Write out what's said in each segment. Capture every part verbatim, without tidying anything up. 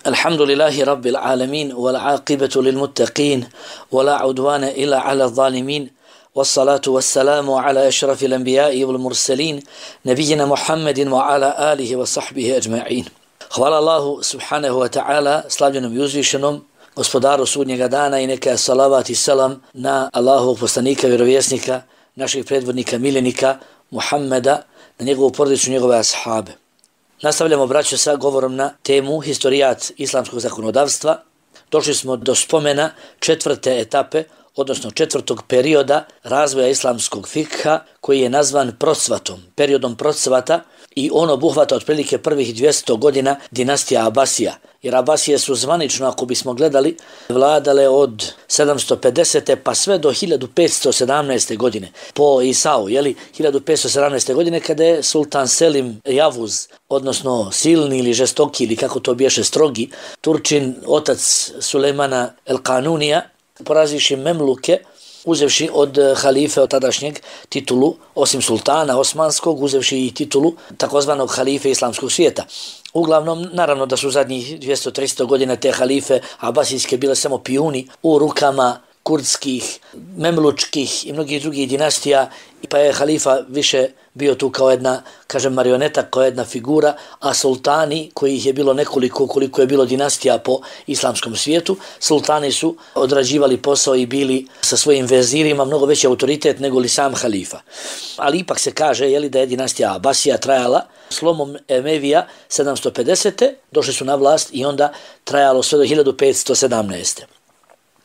الحمد لله رب العالمين والعاقبة للمتقين ولا عدوان إلا على الظالمين والصلاة والسلام على أشرف الأنبياء والمرسلين نبينا محمد وعلى آله وصحبه أجمعين. Hvala Allahu subhanahu wa ta'ala, slavljenom i uzvišenom, gospodaru sudnjega dana, i neka salavat i selam na Allahovog poslanika, vjerovjesnika, naših predvodnika, miljenika Muhammeda, na njegovu porodicu, njegove ashabe. Nastavljamo, braćo, sa govorom na temu historijat islamskog zakonodavstva. Došli smo do spomena četvrte etape, odnosno četvrtog perioda razvoja islamskog fikha, koji je nazvan procvatom, periodom procvata, i on obuhvata otprilike prvih dvjesto godina dinastija Abasija. Jer Abasije su zvanično, ako bismo gledali, vladale od sedamsto pedesete pa sve do hiljadu petsto sedamnaeste. godine. Po Isau, jeli, hiljadu petsto sedamnaeste. godine, kada je sultan Selim Javuz, odnosno silni ili žestoki, ili kako to biješe, strogi, Turčin, otac Sulejmana El Kanunija, porazivši Memluke, uzevši od halife od tadašnjeg titulu, osim sultana osmanskog, uzevši i titulu takozvanog halife islamskog svijeta. Uglavnom, naravno da su zadnjih dvjesto do tristo godina te halife abasijske bile samo pijuni u rukama kurdskih, memlučkih i mnogih drugih dinastija, pa je halifa više bio tu kao jedna, kažem, marioneta, kao jedna figura, a sultani, kojih je bilo nekoliko, koliko je bilo dinastija po islamskom svijetu, sultani su odrađivali posao i bili sa svojim vezirima mnogo veći autoritet nego li sam halifa. Ali ipak se kaže, jeli, da je dinastija Abasija trajala slomom Emevija sedamsto pedesete. Došli su na vlast i onda trajalo sve do hiljadu petsto sedamnaeste.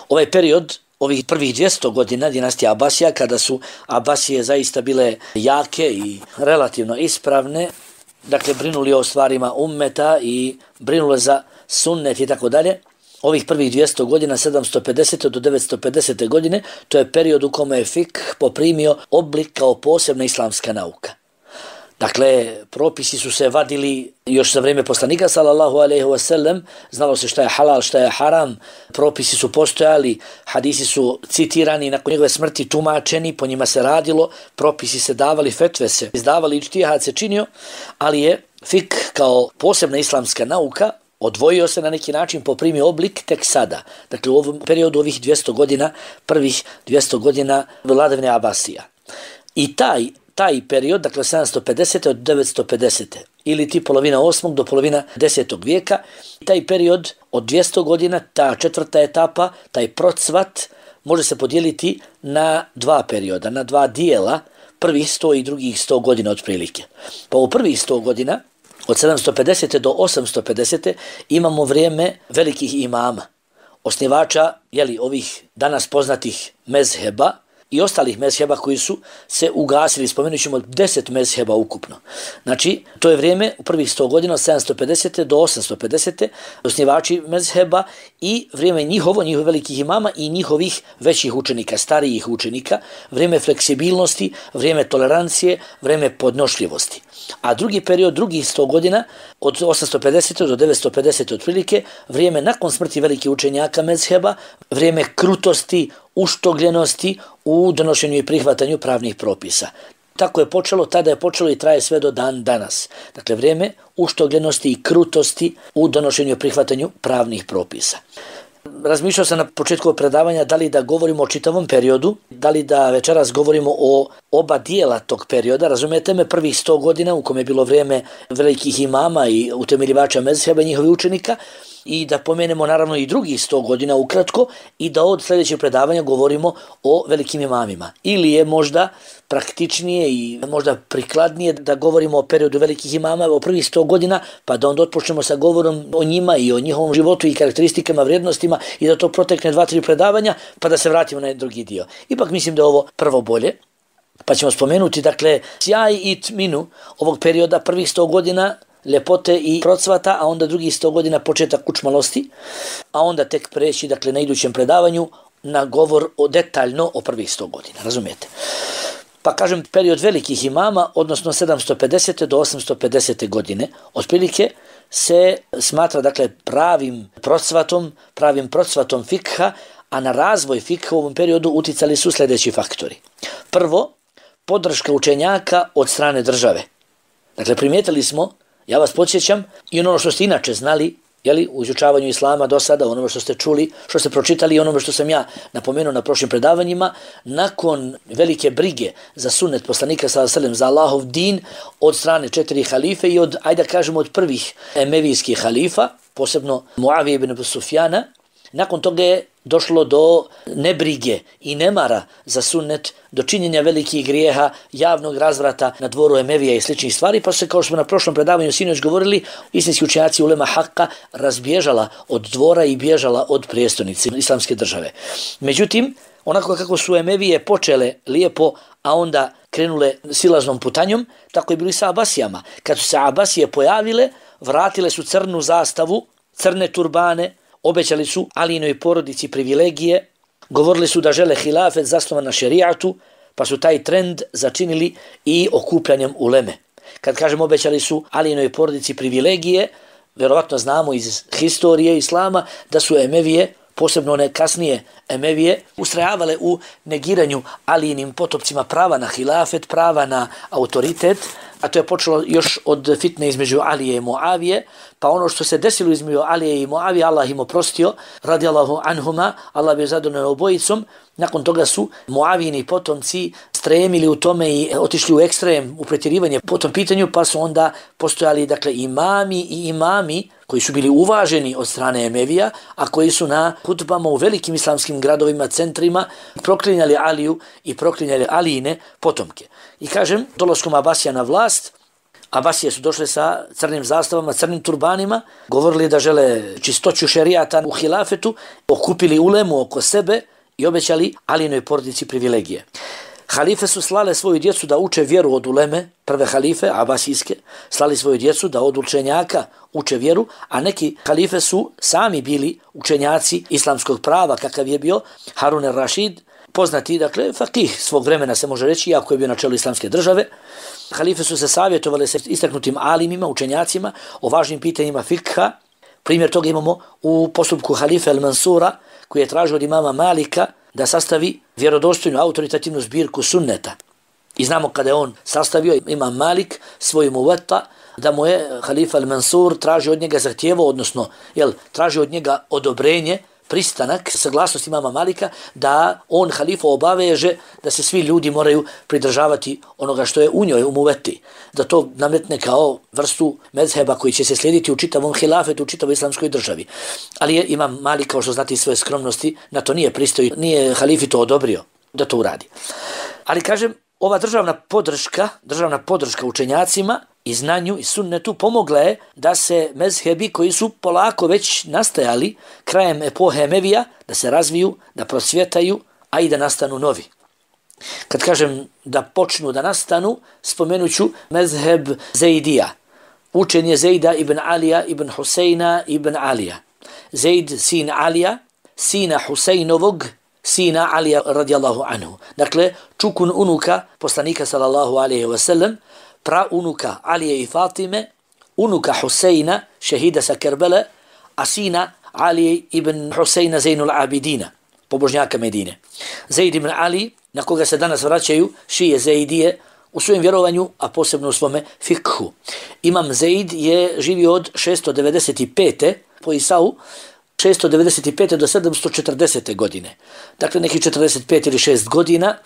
Ovaj period, ovih prvih dvjesto godina dinastija Abasija, kada su Abasije zaista bile jake i relativno ispravne, dakle brinuli o stvarima ummeta i brinule za sunnet i tako dalje, ovih prvih dvjesto godina, sedamsto pedesete do devetsto pedesete. godine, to je period u kome je fikh poprimio oblik kao posebna islamska nauka. Dakle, propisi su se vadili još za vrijeme poslanika sallallahu alejhi ve sellem, znalo se šta je halal, šta je haram, propisi su postojali, hadisi su citirani, nakon njegove smrti tumačeni, po njima se radilo, propisi se davali, fetve se izdavali, ičtihad se činio, ali je fikh kao posebna islamska nauka odvojio se na neki način, poprimio oblik tek sada. Dakle, u ovom periodu ovih dvjesto godina, prvih dvjesto godina vladavine Abasija. I taj Taj period, dakle sedamsto pedesete od devetsto pedesete. ili ti polovina osmog do polovina desetog vijeka, taj period od dvjesto godina, ta četvrta etapa, taj procvat, može se podijeliti na dva perioda, na dva dijela, prvih sto i drugih sto godina otprilike. Pa u prvih sto godina, od sedamsto pedesete do osamsto pedesete, imamo vrijeme velikih imama, osnivača, jeli, ovih danas poznatih mezheba i ostalih mezheba koji su se ugasili, spomenut ćemo deset mezheba ukupno. Znači, to je vrijeme u prvih sto godina od sedamsto pedesete do osamsto pedesete, osnivači mezheba i vrijeme njihovo, njihovih velikih imama i njihovih većih učenika, starijih učenika, vrijeme fleksibilnosti, vrijeme tolerancije, vrijeme podnošljivosti. A drugi period, drugih sto godina, od osamsto pedesete do devetsto pedesete otprilike, vrijeme nakon smrti velikih učenjaka mezheba, vrijeme krutosti, uštogljenosti u donošenju i prihvatanju pravnih propisa. Tako je počelo, tada je počelo i traje sve do dan danas. Dakle, vrijeme uštogljenosti i krutosti u donošenju i prihvatanju pravnih propisa. Razmišljao sam na početku predavanja da li da govorimo o čitavom periodu, da li da večeras govorimo o oba dijela tog perioda. Razumijete me, prvih sto godina u kome je bilo vrijeme velikih imama i utemeljivača mezheba i njihovih učenika, i da pomenemo naravno i drugih sto godina ukratko i da od sljedećeg predavanja govorimo o velikim imamima. Ili je možda praktičnije i možda prikladnije da govorimo o periodu velikih imama, o prvih sto godina, pa da onda otpočnemo sa govorom o njima i o njihovom životu i karakteristikama, vrijednostima i da to protekne dva, tri predavanja, pa da se vratimo na drugi dio. Ipak mislim da je ovo prvo bolje, pa ćemo spomenuti, dakle, sjaj i tminu ovog perioda prvih sto godina, ljepote i procvata, a onda drugih sto godina početak učmalosti, a onda tek preći, dakle, na idućem predavanju na govor o detaljno o prvih sto godina, razumijete? Pa kažem, period velikih imama, odnosno sedamsto pedesete do osamsto pedesete godine, otprilike se smatra, dakle, pravim procvatom, pravim procvatom fikha, a na razvoj fikha u ovom periodu uticali su sljedeći faktori. Prvo, podrška učenjaka od strane države. Dakle, primijetili smo, ja vas podsjećam, i ono što ste inače znali, jeli, u izučavanju islama do sada, onome što ste čuli, što ste pročitali i onome što sam ja napomenuo na prošlim predavanjima, nakon velike brige za sunnet poslanika sallallahu alejhi ve sellem, za Allahov din od strane četiri halife i od, ajde da kažemo, od prvih emevijskih halifa, posebno Muavije ibn Abu Sufjana, nakon toga je došlo do nebrige i nemara za sunnet, do činjenja velikih grijeha, javnog razvrata na dvoru Emevija i sličnih stvari, pa se, kao što smo na prošlom predavanju sinoć govorili, istinski učenjaci ulema Hakka razbježala od dvora i bježala od prijestolnice islamske države. Međutim, onako kako su Emevije počele lijepo, a onda krenule silaznom putanjom, tako je bilo i sa Abasijama. Kad su se Abasije pojavile, vratile su crnu zastavu, crne turbane, obećali su Alijinoj porodici privilegije, govorili su da žele hilafet zasnovan na šerijatu, pa su taj trend začinili i okupljanjem uleme. Kad kažem obećali su Alijinoj porodici privilegije, vjerovatno znamo iz historije islama da su Emevije, posebno one kasnije Emevije, ustrajavale u negiranju Alijinim potopcima prava na hilafet, prava na autoritet, a to je počelo još od fitne između Alije i Muavije, pa ono što se desilo između Alije i Muavije, Allah im oprostio, radijallahu anhuma, Allah bi zadovoljno obojicom. Nakon toga su Muavijini potomci stremili u tome i otišli u ekstrem, u pretjerivanje po tom pitanju, pa su onda postojali, dakle, imami i imami koji su bili uvaženi od strane Emevija, a koji su na hutbama u velikim islamskim gradovima, centrima, proklinjali Aliju i proklinjali Alijine potomke. I kažem, dolaskom Abasija na vlast, Abasije su došle sa crnim zastavama, crnim turbanima, govorili da žele čistoću šerijata u hilafetu, okupili ulemu oko sebe i obećali Alijinoj porodici privilegije. Halife su slale svoju djecu da uče vjeru od uleme, prve halife, abasijske, slali svoju djecu da od učenjaka uče vjeru, a neki halife su sami bili učenjaci islamskog prava, kakav je bio Harun el-Rašid, poznati, dakle, fakih svog vremena se može reći, iako je bio na čelu islamske države. Halife su se savjetovali sa istaknutim alimima, učenjacima, o važnim pitanjima fikha. Primjer toga imamo u postupku halife el-Mansura, koji je tražio od imama Malika da sastavi vjerodostojnu autoritativnu zbirku sunneta. I znamo kada je on sastavio, imam Malik, svoju muveta, da mu je halifa el-Mansur tražio od njega zahtjevo, odnosno jel, tražio od njega odobrenje, pristanak, saglasnost imama Malika, da on halifa obaveže da se svi ljudi moraju pridržavati onoga što je u njoj, u muveti. Da to nametne kao vrstu mezheba koji će se slijediti u čitavom hilafetu, u čitavoj islamskoj državi. Ali je imam Malik, kao što znate iz svoje skromnosti, na to nije pristoj, nije halifi to odobrio da to uradi. Ali kažem, ova državna podrška, državna podrška učenjacima i znanju i sunnetu pomogla je da se mezhebi koji su polako već nastajali krajem epohe Emevija, da se razviju, da procvjetaju, a i da nastanu novi. Kad kažem da počnu da nastanu, spomenut ću mezheb Zeidija. Učen je Zejda ibn Alija ibn Husejna ibn Alija. Zeid sin Alija, sina Husejnovog, sina Alija radijallahu anhu. Dakle, čukun unuka poslanika sallallahu alaihi wa sallam, pra unuka Alije i Fatime, unuka Husejna, šehida sa Kerbele, a sina Alije ibn Husejna Zainul Abidina, pobožnjaka Medine. Zaid ibn Ali, na koga se danas vraćaju šije Zeidije, u svojem vjerovanju, a posebno u svome fikhu. Imam Zaid je živio od šesto devedeset pete po Isau, šesto devedeset pete do sedamsto četrdesete godine. Dakle, neki četrdeset pet ili šest godina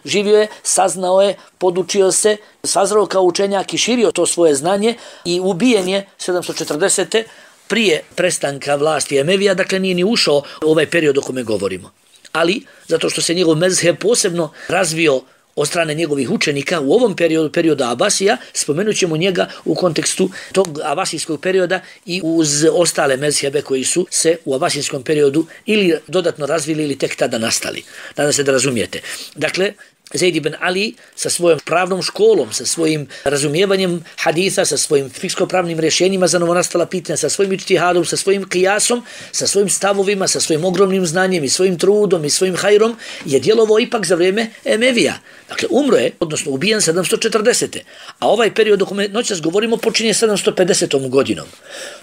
živio je, saznao je, podučio se, sazrao kao učenjak i širio to svoje znanje i ubijen je sedamsto četrdesete prije prestanka vlasti Emevija, dakle nije ni ušao u ovaj period o kome govorimo. Ali, zato što se njegov mezheb posebno razvio od strane njegovih učenika u ovom periodu, perioda Abasija, spomenut ćemo njega u kontekstu tog abasijskog perioda i uz ostale mezhebe koji su se u abasijskom periodu ili dodatno razvili ili tek tada nastali. Nadam se da razumijete. Dakle, Zaid ibn Ali sa svojom pravnom školom, sa svojim razumijevanjem haditha, sa svojim fiksko-pravnim rješenjima za novonastala pitanja, sa svojim ičtihadom, sa svojim kijasom, sa svojim stavovima, sa svojim ogromnim znanjem i svojim trudom i svojim hajrom je djelovao ipak za vrijeme Emevija. Dakle, umro je, odnosno ubijen sedamsto četrdesete. A ovaj period o kome noćas govorimo počinje sedamsto pedesetom godinom.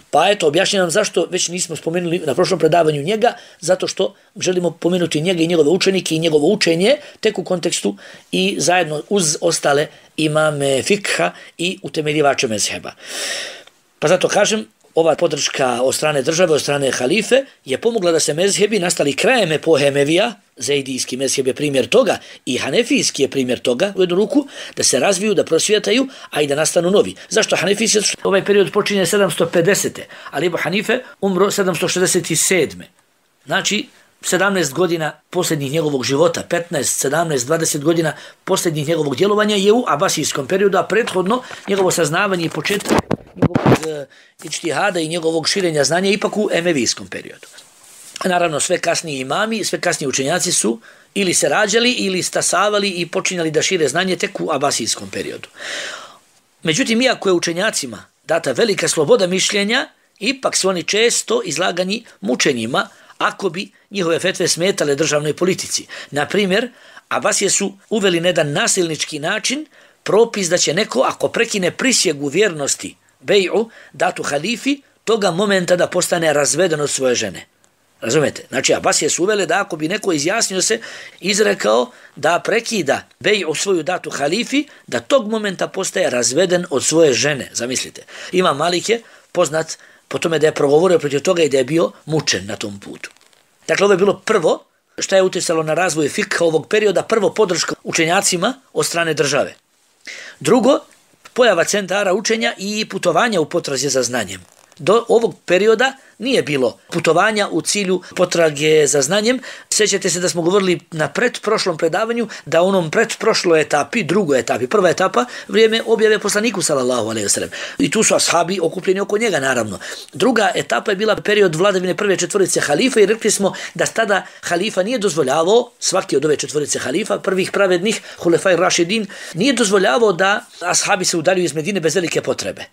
Pa eto, objašnjam zašto već nismo spomenuli na prošlom predavanju njega, zato što želimo pomenuti njega i njegove učenike i njegovo učenje tek u kontekstu i zajedno uz ostale imame fikha i utemeljivače mezheba. Pa zato kažem, ova podrška od strane države, od strane halife je pomogla da se mezhebi nastali krajem epohe Emevija, Zaidijski mezheb je primjer toga i Hanefijski je primjer toga u jednu ruku, da se razviju, da prosvjetaju, a i da nastanu novi. Zašto Hanefijski? Ovaj period počinje sedamsto pedesete. Ali Ebu Hanife umro sedamsto šezdeset sedme. Znači, sedamnaest godina posljednjih njegovog života, petnaest, sedamnaest, dvadeset godina posljednjih njegovog djelovanja je u abasijskom periodu, a prethodno njegovo saznavanje i početak njegovog uh, ičtihada i njegovog širenja znanja ipak u emevijskom periodu. Naravno, sve kasniji imami, sve kasniji učenjaci su ili se rađali ili stasavali i počinjali da šire znanje tek u abasijskom periodu. Međutim, iako je učenjacima data velika sloboda mišljenja, ipak su oni često izlagani mučenjima ako bi njihove fetve smetale državnoj politici. Na primjer, Abasije su uveli na jedan nasilnički način propis da će neko, ako prekine prisjegu vjernosti bej'u, datu halifi, toga momenta da postane razveden od svoje žene. Razumete? Znači, Abasije su uvele da ako bi neko izjasnio se, izrekao da prekida bej'u svoju datu halifi, da tog momenta postaje razveden od svoje žene. Zamislite. Imam Malik je poznat po tome da je progovorio protiv toga i da je bio mučen na tom putu. Dakle, ovo je bilo prvo što je utjecalo na razvoj fikha ovog perioda, prvo podrška učenjacima od strane države. Drugo, pojava centara učenja i putovanja u potrazi za znanjem. Do ovog perioda nije bilo putovanja u cilju potrage za znanjem. Sjećate se da smo govorili na pretprošlom predavanju da u onom pretprošloj etapi, drugoj etapi, prva etapa, vrijeme objave poslaniku sallallahu alejhi ve sellem. I tu su ashabi okupljeni oko njega, naravno. Druga etapa je bila period vladavine prve četvorice halifa i rekli smo da tada halifa nije dozvoljavao, svaki od ove četvorice halifa, prvih pravednih, hulefaj rašidin, nije dozvoljavao da ashabi se udaljuju iz Medine bez velike potrebe.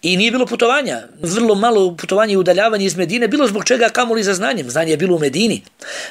I nije bilo putovanja, vrlo malo putovanja i udaljavanja iz Medine, bilo zbog čega kamoli za znanjem, znanje je bilo u Medini.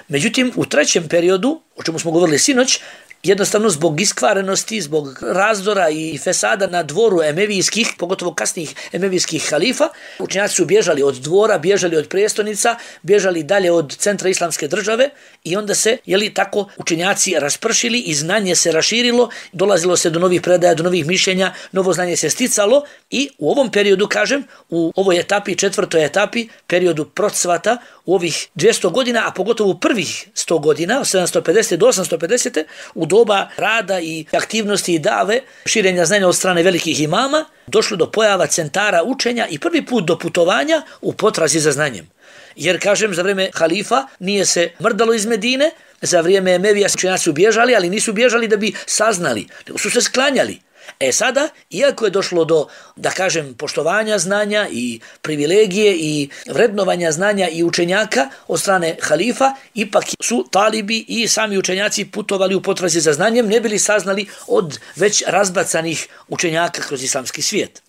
Međutim, u trećem periodu, o čemu smo govorili sinoć, jednostavno zbog iskvarenosti, zbog razdora i fesada na dvoru emevijskih, pogotovo kasnijih emevijskih halifa, učenjaci su bježali od dvora, bježali od prijestolnica, bježali dalje od centra islamske države i onda se, jeli, tako učenjaci raspršili i znanje se raširilo, dolazilo se do novih predaja, do novih mišljenja, novo znanje se sticalo i u ovom periodu, kažem, u ovoj etapi, četvrtoj etapi, periodu procvata, u ovih dvjesto godina, a pogotovo u prvih sto godina, od sedamsto pedeset do osamsto pedeset, u doba rada i aktivnosti i dave, širenja znanja od strane velikih imama, došlo do pojava centara učenja i prvi put do putovanja u potrazi za znanjem. Jer, kažem, za vrijeme halifa nije se mrdalo iz Medine, za vrijeme Emevija učenjaci su bježali, ali nisu bježali da bi saznali, nego su se sklanjali. E sada, iako je došlo do, da kažem, poštovanja znanja i privilegije i vrednovanja znanja i učenjaka od strane halifa, ipak su talibi i sami učenjaci putovali u potrazi za znanjem, ne bili saznali od već razbacanih učenjaka kroz islamski svijet.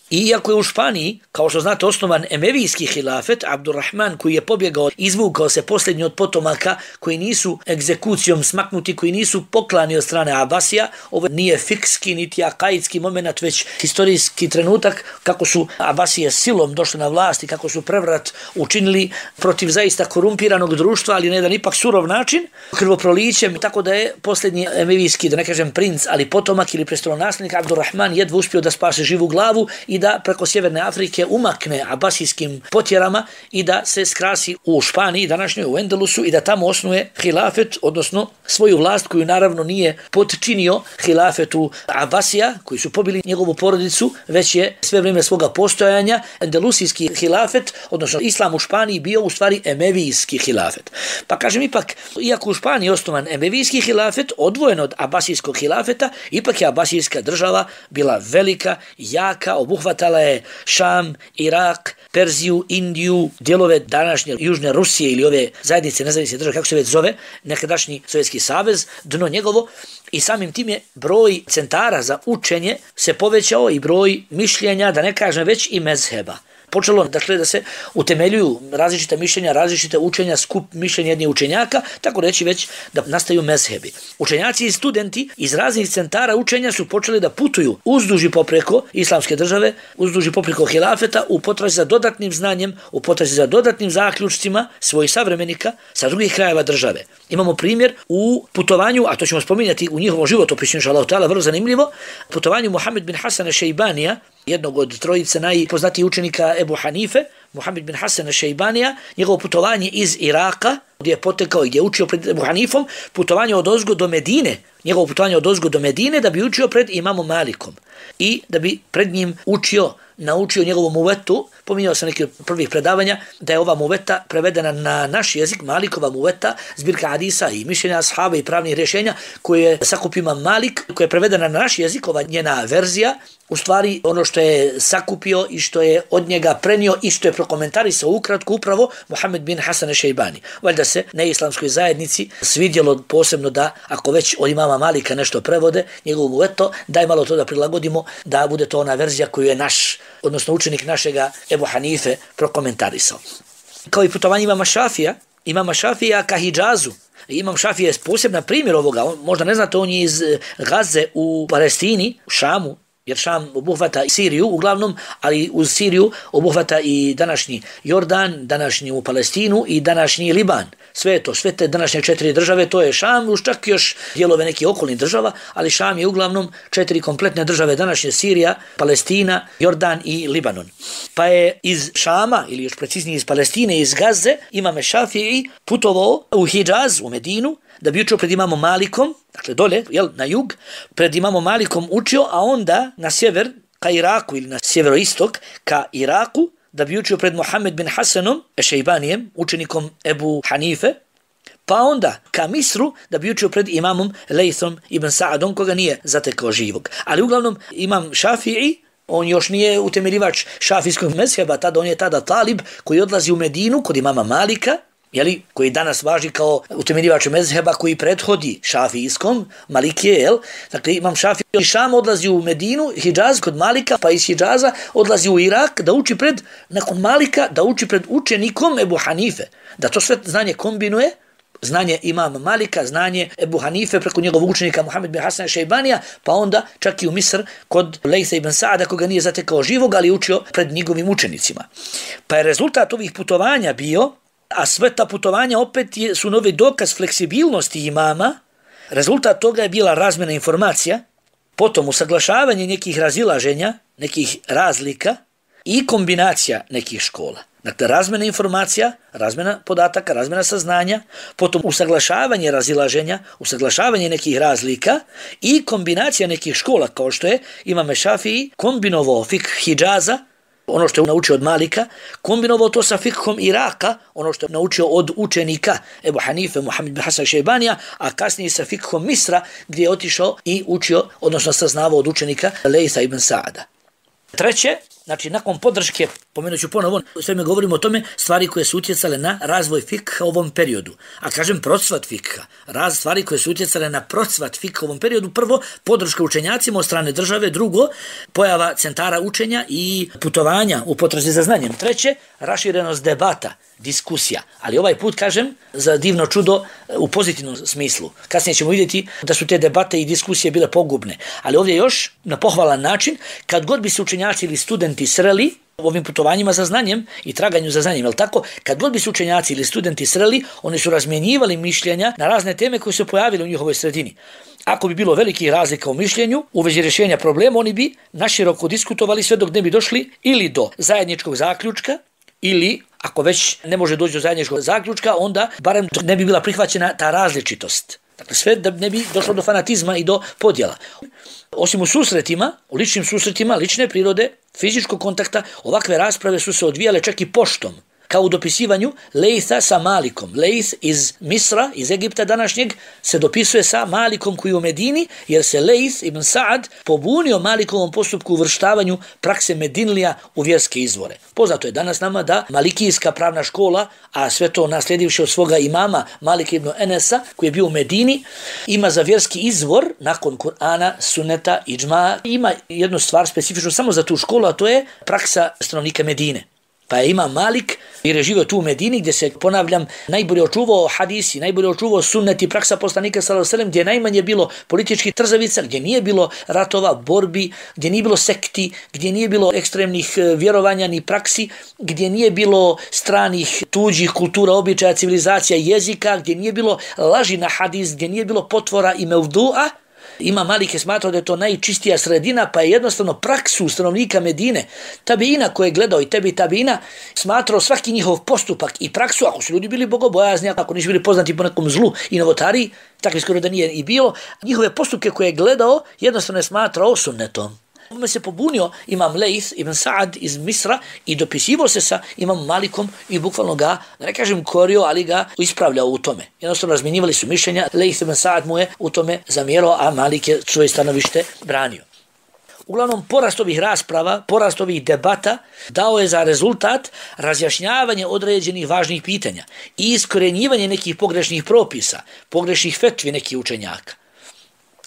I iako je u Španiji, kao što znate, osnovan emevijski hilafet, Abdurrahman, koji je pobjegao, izvukao se posljednji od potomaka koji nisu egzekucijom smaknuti, koji nisu poklani od strane Abasija, ovo nije fikski niti akaidski moment, već historijski trenutak kako su Abasije silom došli na vlast i kako su prevrat učinili protiv zaista korumpiranog društva, ali na jedan ipak surov način, krvoprolićem, tako da je posljednji emevijski, da ne kažem princ, ali potomak ili prestolonaslednik Abdurrahman jedva uspio da spase živu glavu i da preko Sjeverne Afrike umakne abasijskim potjerama i da se skrasi u Španiji, današnjoj u Endelusu, i da tamo osnuje hilafet, odnosno svoju vlast koju naravno nije potčinio hilafetu Abasija, koji su pobili njegovu porodicu, već je sve vrijeme svoga postojanja endelusijski hilafet, odnosno islam u Španiji, bio u stvari emevijski hilafet. Pa kažem ipak, iako u Španiji osnovan emevijski hilafet, odvojen od abasijskog hilafeta, ipak je abasijska država bila velika, jaka, obuhvatna Hvatala je Šam, Irak, Perziju, Indiju, dijelove današnje Južne Rusije ili ove zajednice nezavisne države, kako se već zove, nekadašnji Sovjetski savez, dno njegovo, i samim tim je broj centara za učenje se povećao i broj mišljenja, da ne kažem već i mezheba. Počelo, dakle, da se utemeljuju različita mišljenja, različite učenja, skup mišljenja jednih učenjaka, tako reći već da nastaju mezhebi. Učenjaci i studenti iz raznih centara učenja su počeli da putuju uzduž i popreko islamske države, uzduž i popreko hilafeta, u potrazi za dodatnim znanjem, u potrazi za dodatnim zaključcima svojih savremenika sa drugih krajeva države. Imamo primjer u putovanju, a to ćemo spominjati u njihovom životopisu, inšallahu ta'ala, vrlo zanimljivo, putovanju Muhammed bin Hasana Šejbanija, jednog od trojice najpoznatijih učenika Ebu Hanife, Muhammed bin Hasan Šejbanija, njegovo putovanje iz Iraka, gdje je potekao i gdje je učio pred Ebu Hanifom, putovanje od ozgo do Medine, njegovo putovanje od ozgo do Medine da bi učio pred imamom Malikom i da bi pred njim učio, naučio njegovu muvetu. Pominjao sam neki od prvih predavanja da je ova muveta prevedena na naš jezik, Malikova muveta, zbirka hadisa i mišljenja ashaba i pravnih rješenja koje je sakupio imam Malik, koja je prevedena na naš jezik, ova njena verzija, u stvari ono što je sakupio i što je od njega prenio i što je prokomentarisao ukratko upravo Muhammed bin Hasan Šejbani. Valjda se neislamskoj zajednici svidjelo posebno da ako već od imama Malika nešto prevode, njegovu muveto, daj malo to da prilagodimo da bude to ona verzija koju je naš, odnosno učenik našega Ebu Hanife prokomentarisao. Kao i putovanje imama Šafija, imama Šafija ka Hidžazu. Imam Šafija je posebna primjer ovoga. On, možda ne znate, on je iz Gaze u Palestini, u Šamu, jer Šam obuhvata i Siriju uglavnom, ali uz Siriju obuhvata i današnji Jordan, današnju Palestinu i današnji Liban. Sve to, sve te današnje četiri države, to je Šam, už čak još dijelove nekih okolnih država, ali Šam je uglavnom četiri kompletne države, današnje Sirija, Palestina, Jordan i Libanon. Pa je iz Šama, ili još preciznije iz Palestine, iz Gaze, imam Šafii putovao u Hidžaz, u Medinu, da bi učio pred imamom Malikom, dakle dole, jel, na jug, pred imamom Malikom učio, a onda na sjever, ka Iraku ili na sjeveroistok, ka Iraku, da bi učio pred Muhammed bin Hasanom Šejbanijem, učenikom Ebu Hanife, pa onda ka Misru, da bi učio pred imamom Lejthom ibn Sa'adom, koga nije zatekao živog. Ali uglavnom imam Šafii, on još nije utemeljivač šafijskog mezheba, tada on je tada talib koji odlazi u Medinu kod imama Malika, jeli, koji danas važi kao utemeljivač mezheba koji prethodi šafijskom, Malikije, jel? Dakle, imam Šafija iz Šama odlazi u Medinu, Hidžaz kod Malika, pa iz Hidžaza odlazi u Irak da uči pred, nakon Malika, da uči pred učenikom Ebu Hanife. Da to sve znanje kombinuje, znanje imama Malika, znanje Ebu Hanife preko njegovog učenika Muhammed bin Hasan Šejbanija, pa onda čak i u Misr kod Lejtha ibn Sa'ada, koga nije zatekao živog, ali učio pred njegovim učenicima. Pa je rezultat ovih putovanja bio, a sve ta putovanja opet je, su novi dokaz fleksibilnosti imama. Rezultat toga je bila razmjena informacija, potom usaglašavanje nekih razilaženja, nekih razlika i kombinacija nekih škola. Dakle, razmjena informacija, razmjena podataka, razmjena saznanja, potom usaglašavanje razilaženja, usaglašavanje nekih razlika i kombinacija nekih škola, kao što je imam Šafii kombinovao fik Hidžaza, ono što je naučio od Malika, kombinovao to sa fikhom Iraka, ono što je naučio od učenika Ebu Hanife, Muhammed bin Hasan Šejbanija, a kasnije sa fikhom Misra, gdje je otišao i učio, odnosno saznavao od učenika Lejtha ibn Sa'ada. Treće, znači nakon podrške, pomenut ću ponovo, sve mi govorimo o tome, stvari koje su utjecale na razvoj fikha u ovom periodu. A kažem procvat fikha, raz stvari koje su utjecale na procvat fikha u ovom periodu. Prvo, podrška učenjacima od strane države. Drugo, pojava centara učenja i putovanja u potrazi za znanjem. Treće, raširenost debata, diskusija. Ali ovaj put, kažem, za divno čudo u pozitivnom smislu. Kasnije ćemo vidjeti da su te debate i diskusije bile pogubne. Ali ovdje još na pohvalan način, kad god bi se učenjaci ili studenti sreli ovim putovanjima za znanjem i traganju za znanjem, jel tako? Kad god bi se učenjaci ili studenti sreli, oni su razmjenjivali mišljenja na razne teme koje su pojavile u njihovoj sredini. Ako bi bilo velikih razlika u mišljenju u vezi rješenja problema, oni bi naširoko diskutovali sve dok ne bi došli ili do zajedničkog zaključka, ili ako već ne može doći do zajedničkog zaključka, onda barem ne bi bila prihvaćena ta različitost. Dakle, sve da ne bi došlo do fanatizma i do podjela. Osim u susretima, u ličnim susretima, lične prirode, fizičkog kontakta, ovakve rasprave su se odvijale čak i poštom, kao u dopisivanju Lejtha sa Malikom. Lejth iz Misra, iz Egipta današnjeg, se dopisuje sa Malikom koji je u Medini, jer se Lejth ibn Sa'ad pobunio Malikovom postupku uvrštavanju prakse Medinlija u vjerske izvore. Poznato je danas nama da Malikijska pravna škola, a sve to naslijedivši od svoga imama Malik ibn Enesa, koji je bio u Medini, ima za vjerski izvor, nakon Kur'ana, Sunneta, Idžma, ima jednu stvar specifičnu samo za tu školu, a to je praksa stanovnika Medine. Pa je imam Malik jer je živio tu u Medini gdje se, ponavljam, najbolje očuvao hadisi, najbolje očuvao sunnet i praksa poslanika sallallahu alejhi ve sellem, gdje najmanje bilo političkih trzavica, gdje nije bilo ratova, borbi, gdje nije bilo sekti, gdje nije bilo ekstremnih vjerovanja ni praksi, gdje nije bilo stranih tuđih kultura, običaja, civilizacija, jezika, gdje nije bilo laži na hadis, gdje nije bilo potvora i mevdu'a. Imam Malik je smatrao da je to najčistija sredina, pa je jednostavno praksu stanovnika Medine, tabiina koje je gledao i tebi tabiina, smatrao svaki njihov postupak i praksu, ako su ljudi bili bogobojazni, ako nisu bili poznati po nekom zlu i novotariji, takvi skoro da nije i bilo, njihove postupke koje je gledao jednostavno je smatrao sunnetom. Ome se pobunio Imam Leith ibn Sa'ad iz Misra i dopisivo se sa Imam Malikom i bukvalno ga, da ne kažem korio, ali ga ispravljao u tome. Jednostavno razminjivali su mišljenja, Leith ibn Sa'ad mu je u tome zamjerao, a Malik je svoje stanovište branio. Uglavnom, porast ovih rasprava, porast ovih debata dao je za rezultat razjašnjavanje određenih važnih pitanja i iskorenjivanje nekih pogrešnih propisa, pogrešnih fetvi nekih učenjaka.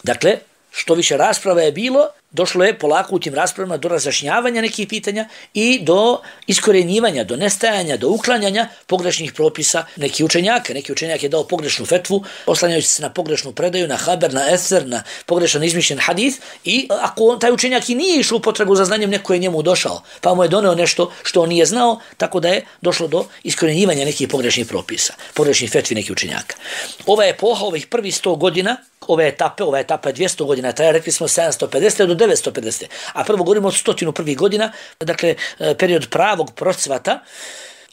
Dakle, što više rasprava je bilo, došlo je polako u tim raspravama do razjašnjavanja nekih pitanja i do iskorenjivanja, do nestajanja, do uklanjanja pogrešnih propisa nekih učenjaka. Neki učenjak je dao pogrešnu fetvu, oslanjajući se na pogrešnu predaju, na haber, na eser, na pogrešan izmišljen hadis i ako taj učenjak i nije išao u potragu za znanjem, neko je njemu došao, pa mu je doneo nešto što on nije znao, tako da je došlo do iskorenjivanja nekih pogrešnih propisa, pogrešnih fetvi nekih učenjaka. Ova epoha, ovih prvih sto godina, ove etape, ova etapa je dvjesto godina, traje, rekli smo sedamsto pedeset do devetsto pedeset, a prvo govorimo od stotinu prvih godina, dakle period pravog procvata.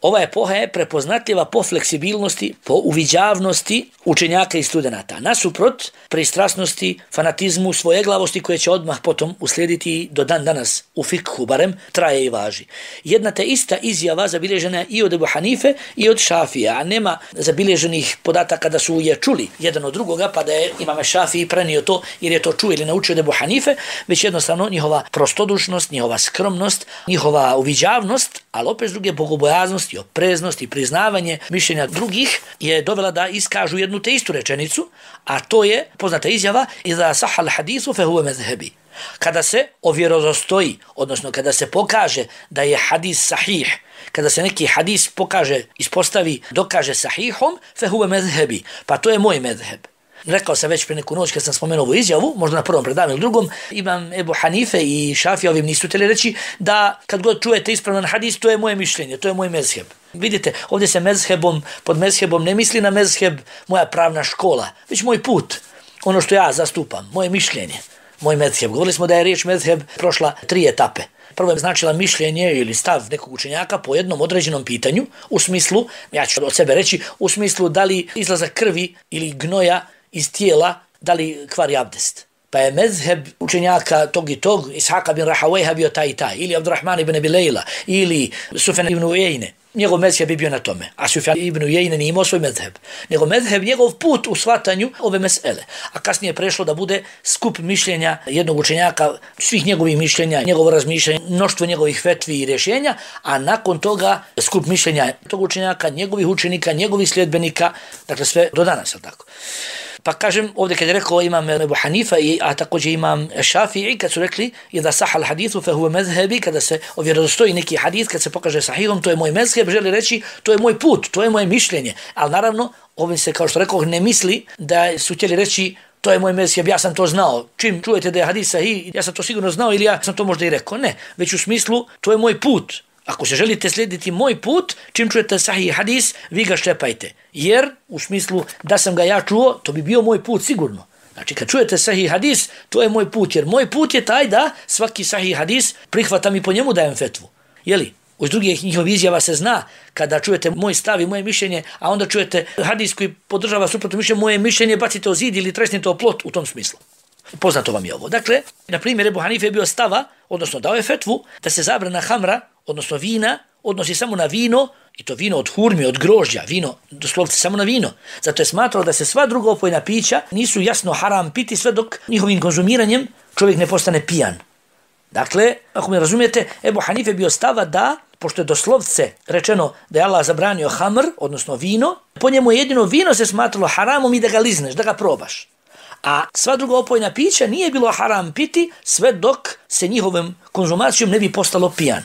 Ova epoha je prepoznatljiva po fleksibilnosti, po uviđavnosti učenjaka i studenata, nasuprot pristrasnosti, fanatizmu, svojeglavosti koje će odmah potom uslijediti do dan danas u fikhu, barem traje i važi. Jedna te ista izjava zabilježena i od Ebu Hanife i od Šafija, a nema zabilježenih podataka da su je čuli jedan od drugoga, pa da je Imam Šafiji prenio to jer je to čuo ili naučio od Ebu Hanife, već jednostavno njihova prostodušnost, njihova skromnost, njihova uviđavnost, ali opet druge bogobojaznost i opreznost i priznavanje mišljenja drugih je dovela da iskažu jednu te istu rečenicu, a to je poznata izjava iza sahal hadisu fe huve mezhebi. Kada se ovjerodostoji, odnosno kada se pokaže da je hadis sahih, kada se neki hadis pokaže, ispostavi, dokaže sahihom, fe huve mezhebi, pa to je moj mezheb. Rekao sam već pre neku noć kad sam spomenuo ovu izjavu, možda na prvom predavanju ili drugom, Imam Ebu Hanife i Šafija ovim nisu htjeli reći da kad god čujete ispravan hadis, to je moje mišljenje, to je moj mezheb. Vidite, ovdje se mezhebom, pod mezhebom ne misli na mezheb moja pravna škola, već moj put, ono što ja zastupam, moje mišljenje, moj mezheb. Govorili smo da je riječ mezheb prošla tri etape. Prvo je značila mišljenje ili stav nekog učenjaka po jednom određenom pitanju, u smislu, ja ću od sebe reći, u smislu da li izlazak krvi ili gnoja iz tijela, da li kvari abdest. Pa je mezheb učenjaka tog i tog, Ishaka bin Rahawayha bio taj i taj, ili Abdurrahman ibn Abi Layla, ili Sufjan ibn Uyeyne. Njegov mezheb je bio na tome, a Sufjan ibn Uyeyne nije imao svoj mezheb. Nego mezheb, njegov put u shvatanju ove mesele. A kasnije prešlo da bude skup mišljenja jednog učenjaka, svih njegovih mišljenja, njegovo razmišljanje, mnoštvo njegovih fetvi i rješenja, a nakon toga skup mišljenja tog učenjaka, njegovih učenika, njegovih sljedbenika, dakle sve do danas, je tako. Pa kažem, ovdje kad je rekao imam Ebu Hanifa, a također imam Šafii, kad su rekli da sahal hadithu fe huve mezhebi, kada se ovjerodostoji neki hadith, kad se pokaže sahihom, to je moj mezheb, želi reći, to je moj put, to je moje mišljenje. Ali naravno, ovdje se, kao što rekao, ne misli da su htjeli reći, to je moj mezheb, ja sam to znao. Čim čujete da je hadis sahih, ja sam to sigurno znao ili ja sam to možda i rekao. Ne, već u smislu, to je moj put. Ako se želite slijediti moj put, čim čujete sahih hadis, vi ga šlepajte. Jer, u smislu da sam ga ja čuo, to bi bio moj put sigurno. Znači, kad čujete sahih hadis, to je moj put. Jer moj put je taj da svaki sahih hadis prihvatam i po njemu dajem fetvu. Jeli? Uz drugih njihovih izjava se zna kada čujete moj stav i moje mišljenje, a onda čujete hadis koji podržava suprotno mišljenje, moje mišljenje bacite o zid ili tresnite o plot u tom smislu. Poznato vam je ovo. Dakle, na primjer, Ebu Hanife je bio stava, odnosno dao je fetvu, da se zabrana hamra, odnosno vina, odnosi samo na vino, i to vino od hurmi, od grožđa, vino, doslovce samo na vino. Zato je smatrao da se sva druga opojna pića nisu jasno haram piti sve dok njihovim konzumiranjem čovjek ne postane pijan. Dakle, ako me razumijete, Ebu Hanife je bio stava da, pošto je doslovce rečeno da je Allah zabranio hamr, odnosno vino, po njemu jedino vino se smatralo haramom i da ga lizneš, da ga probaš. A sva druga opojna pića nije bilo haram piti sve dok se njihovim konzumacijom ne bi postalo pijan.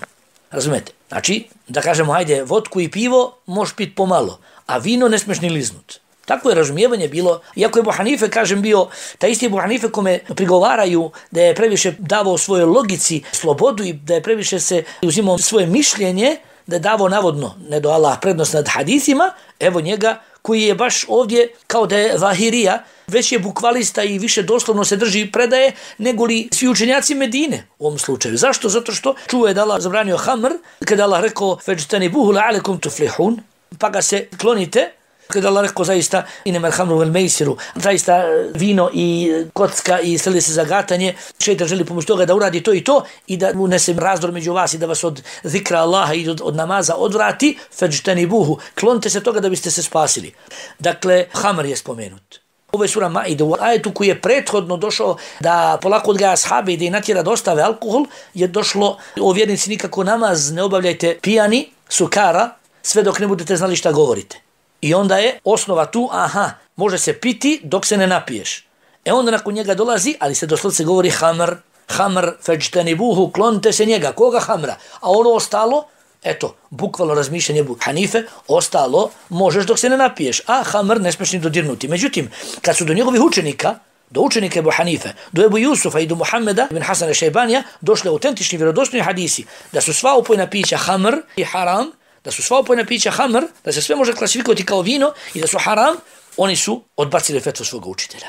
Razumete? Znači, da kažemo, hajde, vodku i pivo možeš piti pomalo, a vino ne smiješ ni liznut. Tako je razumijevanje bilo, iako je Ebu Hanife, kažem, bio taj isti Ebu Hanife kome prigovaraju da je previše davao svojoj logici slobodu i da je previše se uzimao svoje mišljenje, da je davao navodno, ne do Allah, prednost nad hadisima, evo njega koji je baš ovdje kao da je Zahirija već je bukvalista i više doslovno se drži predaje nego li svi učenjaci Medine u ovom slučaju. Zašto? Zato što čuo je da Allah zabranio hamr, kada Allah rekao fajtanibuhu la'alakum tuflihun, pa ga se klonite. Kada Allah rekao zaista inemel hamru vel mejsiru, zaista vino i kocka i streli se za gatanje, šejtan želi pomoći toga da uradi to i to i da unese razdor među vas i da vas od zikra Allaha i od, od namaza odvrati, fajtanibuhu, klonite se toga da biste se spasili. Dakle, hamr je spomenut. Ovo je sura Maide, u ajetu koji je prethodno došao da polako odgaja ashabe i da i natjera da ostave alkohol, je došlo o vjernici nikako namaz ne obavljajte pijani, sukara, sve dok ne budete znali šta govorite. I onda je osnova tu, aha, može se piti dok se ne napiješ. E onda nakon njega dolazi, ali se doslovce govori hamr, hamr, fajtanibuhu, klonite se njega. Koga hamra? A ono ostalo, eto, bukvalno razmišljanje Ebu Hanife, ostalo možeš dok se ne napiješ, a hamr ne smiješ ni dodirnuti. Međutim, kad su do njegovih učenika, do učenika Ebu Hanife, do Ebu Jusufa i do Muhammeda ibn Hasana Šejbanija, došli autentični vjerodostojni hadisi da su sva opojna pića hamr i haram, da su sva opojna pića hamr, da se sve može klasifikovati kao vino i da su haram, oni su odbacili fetvu svoga učitelja.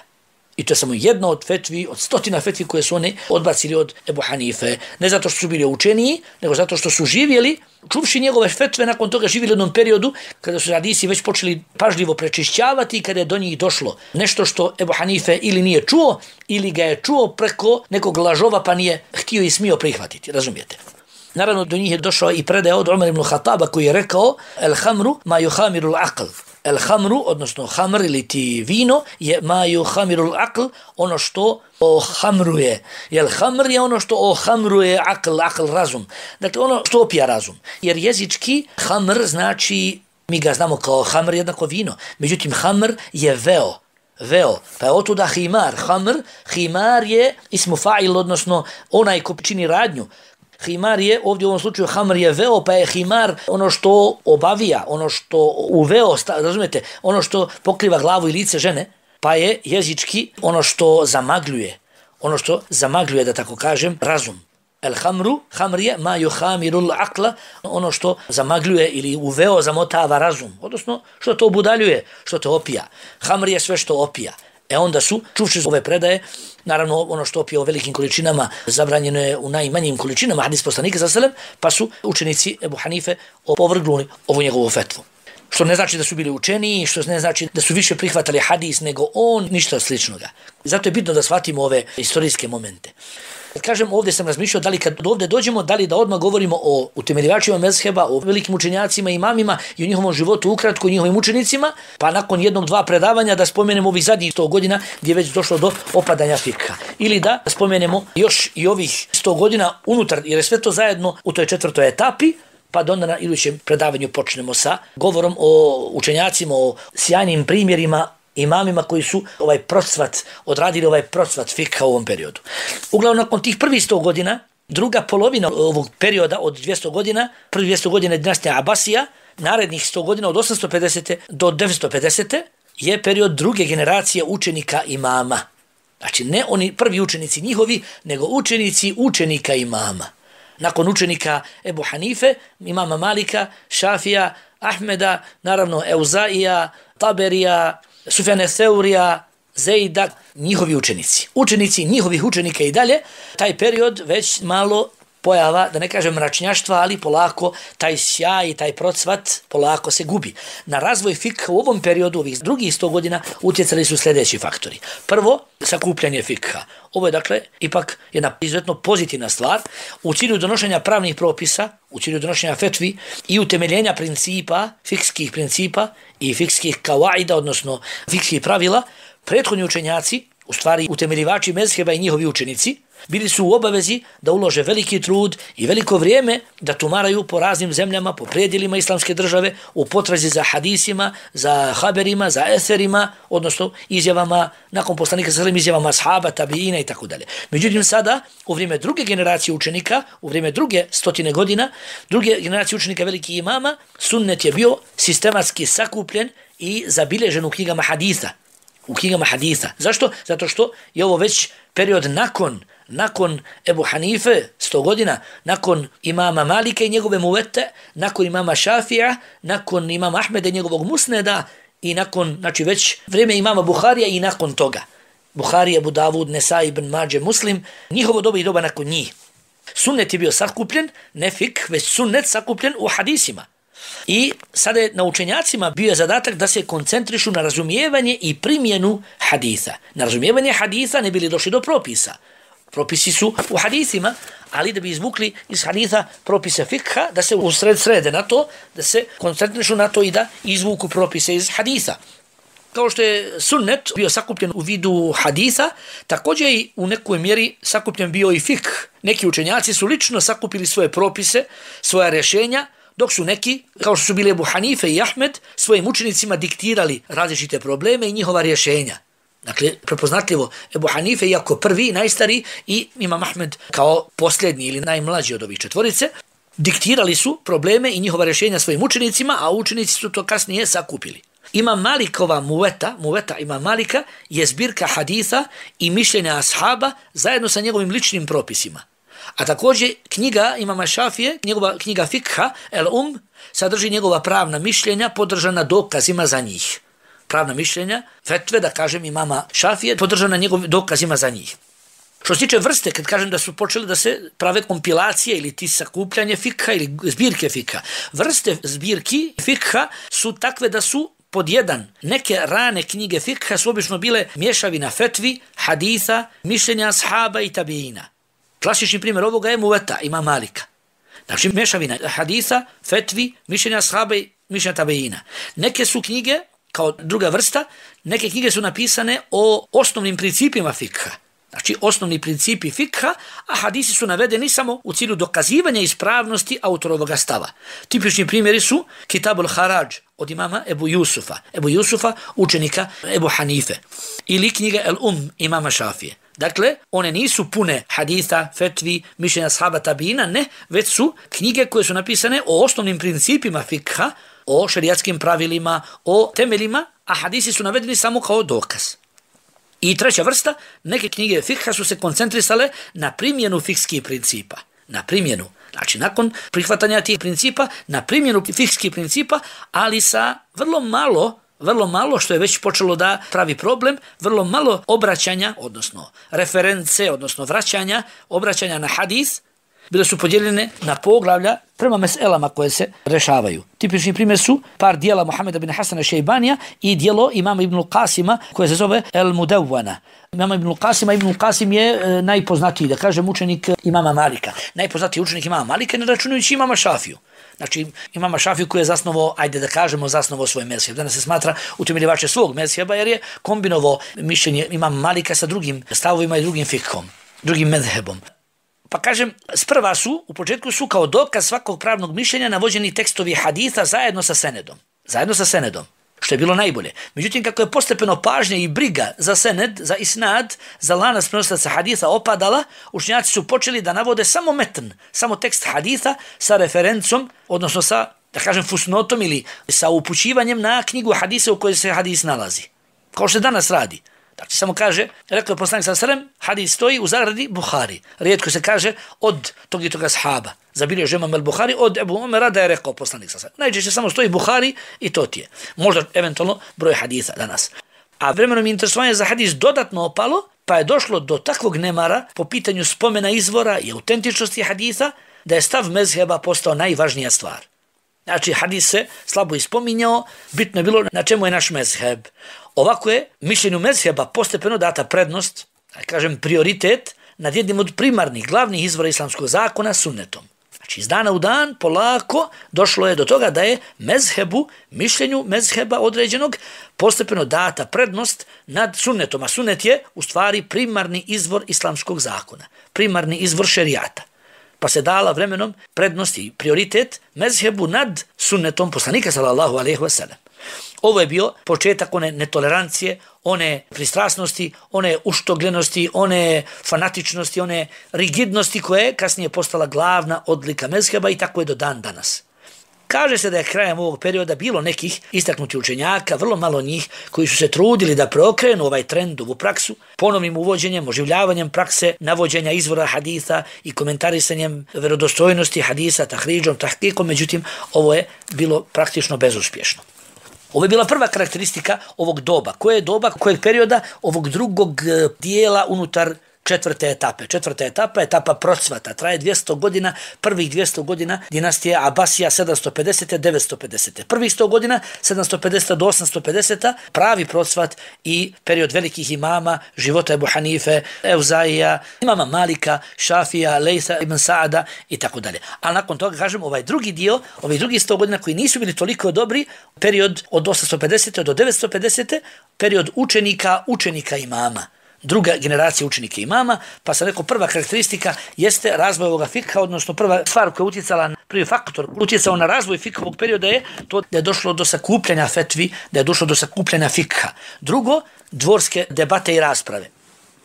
I to je samo jedna od fetvi, od stotina fetvi koje su oni odbacili od Ebu Hanife. Ne zato što su bili učeniji, nego zato što su živjeli, čuvši njegove fetve, nakon toga živjeli u jednom periodu kada su hadisi već počeli pažljivo prečišćavati i kada je do njih došlo nešto što Ebu Hanife ili nije čuo, ili ga je čuo preko nekog lažova pa nije htio i smio prihvatiti, razumijete? Naravno, do njih je došao i predaja od Umar ibn Khattaba koji je rekao el hamru ma yuhamiru al-aql. El hamru, odnosno hamr ili ti vino, je ma yuhamiru al-aql, ono što ohamruje. Jel hamr je ono što ohamruje aql, aql razum. Dakle, ono što opija razum. Jer jezički hamr znači, mi ga znamo kao hamr jednako vino. Međutim, hamr je veo. Veo, pa je otuda himar. Hamr, himar je ismu fa'il, odnosno onaj ko čini radnju. Himar je, ovdje u ovom slučaju hamr je veo, pa je himar ono što obavija, ono što uveo, razumijete, ono što pokriva glavu i lice žene, pa je jezički ono što zamagljuje, ono što zamagljuje, da tako kažem, razum. El hamru, hamr je ma yuhamirul aqla, ono što zamagljuje ili uveo, zamotava razum, odnosno što to obudaljuje, što to opija. Hamr je sve što opija. E onda su, čuvši ove predaje, naravno ono što opije u velikim količinama zabranjeno je u najmanjim količinama, hadis poslanika sallallahu alejhi ve sellem, pa su učenici Ebu Hanife opovrgnuli ovu njegovu fetvu. Što ne znači da su bili učeniji, što ne znači da su više prihvatali hadis nego on, ništa sličnoga. Zato je bitno da shvatimo ove istorijske momente. Kažem, ovdje sam razmišljao da li kad ovdje dođemo, da li da odmah govorimo o utemeljivačima mezheba, o velikim učenjacima, imamima i o njihovom životu ukratko, o njihovim učenicima, pa nakon jednog, dva predavanja da spomenemo ovih zadnjih sto godina gdje je već došlo do opadanja fikha. Ili da spomenemo još i ovih sto godina unutar, jer je sve to zajedno u toj četvrtoj etapi, pa da onda na idućem predavanju počnemo sa govorom o učenjacima, o sjajnim primjerima, imamima koji su ovaj procvat, odradili ovaj procvat fikha u ovom periodu. Uglavnom, nakon tih prvih sto godina, druga polovina ovog perioda od dvjesto godina, prvi dvjesto godina dinastija Abasija, narednih sto godina od osamsto pedesete do devetsto pedesete je period druge generacije učenika imama. Znači, ne oni prvi učenici njihovi, nego učenici učenika imama. Nakon učenika Ebu Hanife, imama Malika, Šafija, Ahmeda, naravno Euzaija, Taberija, Sufjane Theurija, Zejda, njihovi učenici. Učenici njihovih učenika i dalje, taj period već malo pojava, da ne kažem mračnjaštva, ali polako taj sjaj i taj procvat polako se gubi. Na razvoj fikha u ovom periodu, ovih drugih sto godina, utjecali su sljedeći faktori. Prvo, sakupljanje fikha. Ovo je dakle ipak jedna izuzetno pozitivna stvar u cilju donošenja pravnih propisa, u cilju donošenja fetvi i utemeljenja principa, fikskih principa i fikskih kawaida, odnosno fikskih pravila. Prethodni učenjaci, u stvari utemeljivači mezheba i njihovi učenici, bili su u obavezi da ulože veliki trud i veliko vrijeme da tumaraju po raznim zemljama, po predjelima islamske države, u potrazi za hadisima, za haberima, za eserima, odnosno izjavama, nakon poslanika sa svim izjavama ashaba, tabiina i tako dalje. Međutim, sada, u vrijeme druge generacije učenika, u vrijeme druge stotine godina, druge generacije učenika velikih imama, sunnet je bio sistematski sakupljen i zabilježen u knjigama haditha. U knjigama haditha. Zašto? Zato što je ovo već period nakon nakon Ebu Hanife, sto godina, nakon imama Malika i njegove muvete, nakon imama Šafija, nakon imama Ahmeda i njegovog musneda i nakon, znači već vrijeme imama Buharija i nakon toga. Buharija, Abu Davud, Nesai, Ibn Mađe, Muslim, njihovo doba i doba nakon njih. Sunnet je bio sakupljen, ne fik, već sunnet sakupljen u hadisima. I sada je na učenjacima bio je zadatak da se koncentrišu na razumijevanje i primjenu haditha. Na razumijevanje haditha ne bili došli do propisa. Propisi su u hadithima, ali da bi izvukli iz haditha propise fikha, da se usred srede na to, da se koncentrišu na to i da izvuku propise iz haditha. Kao što je sunnet bio sakupljen u vidu haditha, također i u nekoj mjeri sakupljen bio i fik. Neki učenjaci su lično sakupili svoje propise, svoja rješenja, dok su neki, kao što su bili Ebu Hanife i Ahmed, svojim učenicima diktirali različite probleme i njihova rješenja. Dakle, prepoznatljivo Ebu Hanife, iako prvi, najstariji, i Imam Ahmed kao posljednji ili najmlađi od ovih četvorice, diktirali su probleme i njihova rješenja svojim učenicima, a učenici su to kasnije sakupili. Imam Malikova muveta, muveta Imam Malika, je zbirka haditha i mišljenja ashaba zajedno sa njegovim ličnim propisima. A također knjiga Imama Šafije, njegova knjiga Fikha, El Um, sadrži njegova pravna mišljenja podržana dokazima za njih. Pravna mišljenja, fetve, da kažem, Imama Šafije, podržana njegovim dokazima za njih. Što se tiče vrste, kad kažem da su počeli da se prave kompilacije ili ti sakupljanje fikha ili zbirke fikha, vrste zbirki fikha su takve da su pod jedan, neke rane knjige fikha su obično bile mješavina fetvi, haditha, mišljenja ashaba i tabiina. Klasični primjer ovoga je muveta Imam Malika. Znači mješavina haditha, fetvi, mišljenja ashaba i mišljenja tabiina. Neke su knjige, kao druga vrsta, neke knjige su napisane o osnovnim principima fikha. Znači osnovni principi fikha, a hadisi su navedeni samo u cilju dokazivanja ispravnosti autorovoga stava. Tipični primjeri su Kitabul Haraj od imama Ebu Jusufa, Ebu Jusufa, učenika Ebu Hanife, ili knjiga El Um imama Šafije. Dakle, one nisu pune haditha, fetvi, mišljenja ashaba tabiina, ne, već su knjige koje su napisane o osnovnim principima fikha, o šerijatskim pravilima, o temeljima, a hadisi su navedeni samo kao dokaz. I treća vrsta, neke knjige fikha su se koncentrisale na primjenu fikskih principa. Na primjenu, znači nakon prihvatanja tih principa, na primjenu fikskih principa, ali sa vrlo malo, vrlo malo, što je već počelo da pravi problem, vrlo malo obraćanja, odnosno reference, odnosno vraćanja, obraćanja na hadis, bile su podijeljene na poglavlja prema meselama koje se rešavaju. Tipični primjer su par dijela Muhameda bin Hasana Šejbanija i dijelo imama Ibn Qasima koje se zove El Mudawwana. Imama Ibn Qasima, Ibn Qasim je e, najpoznatiji, da kažem, učenik imama Malika. Najpoznatiji učenik imama Malika, ne računajući imama Šafiju. Znači imama Šafiju koji je zasnovao, ajde da kažemo, zasnovao svoj mezheb. Danas se smatra utemeljivače svog mezheba jer je kombinovao mišljenje imama Malika sa drugim stavovima i drugim fikhom, drugim mezhebom. Pa kažem, sprva su, u početku su kao dokaz svakog pravnog mišljenja navođeni tekstovi haditha zajedno sa senedom. Zajedno sa senedom, što je bilo najbolje. Međutim, kako je postepeno pažnja i briga za sened, za isnad, za lanac prenosilaca haditha opadala, učenjaci su počeli da navode samo metn, samo tekst haditha sa referencom, odnosno sa, da kažem, fusnotom ili sa upućivanjem na knjigu hadisa u kojoj se hadis nalazi. Kao što danas radi. Znači, samo kaže, rekao je poslanik sallallahu alejhi ve sellem, hadis stoji u zagradi Buhari. Rijetko se kaže od tog i toga sahaba. Zabilježio Imam al-Buhari od Ebu Omera da je rekao poslanik sallallahu alejhi ve sellem. Najčešće samo stoji Buhari i to ti je. Možda eventualno broj hadisa danas. A vremenom interesovanje za hadis dodatno opalo, pa je došlo do takvog nemara po pitanju spomena izvora i autentičnosti hadisa, da je stav mezheba postao najvažnija stvar. Znači, hadis se slabo ispominjao, bitno je bilo na čemu je naš mezheb. Ovako je mišljenju mezheba postepeno data prednost, da kažem prioritet, nad jednim od primarnih, glavnih izvora islamskog zakona, sunnetom. Znači, iz dana u dan, polako, došlo je do toga da je mezhebu, mišljenju mezheba određenog, postepeno data prednost nad sunnetom. A sunnet je, u stvari, primarni izvor islamskog zakona, primarni izvor šerijata. Pa se dala vremenom prednost i prioritet mezhebu nad sunnetom poslanika sallallahu alejhi ve sellem. Ovo je bio početak one netolerancije, one pristrasnosti, one uštogljenosti, one fanatičnosti, one rigidnosti koje je kasnije postala glavna odlika mezheba i tako je do dan danas. Kaže se da je krajem ovog perioda bilo nekih istaknutih učenjaka, vrlo malo njih, koji su se trudili da preokrenu ovaj trend, ovu praksu, ponovnim uvođenjem, oživljavanjem prakse, navođenja izvora haditha i komentarisanjem verodostojnosti hadisa, tahridžom, tahkikom, međutim, ovo je bilo praktično bezuspješno. Ovo je bila prva karakteristika ovog doba. Koje je doba, kojeg perioda? Ovog drugog dijela unutar četvrte etape. Četvrta etapa, etapa procvata, traje dvjesto godina, prvih dvjesto godina dinastije Abasija sedamsto pedesete do devetsto pedesete. Prvih sto godina sedamsto pedesete do osamsto pedesete, pravi procvat i period velikih imama, života Ebu Hanife, Evzaija, imama Malika, Šafija, Lejsa ibn Saada i tako dalje. A nakon toga, kažem, ovaj drugi dio, ovih drugih sto godina koji nisu bili toliko dobri, period od osamsto pedesete do devetsto pedesete, period učenika, učenika imama. Druga generacija učenika imama, pa sam rekao prva karakteristika jeste razvoj ovoga fikha, odnosno prva stvar koja je utjecala na prvi faktor, utjecao na razvoj fikhovog perioda je to da je došlo do sakupljanja fetvi, da je došlo do sakupljanja fikha. Drugo, dvorske debate i rasprave.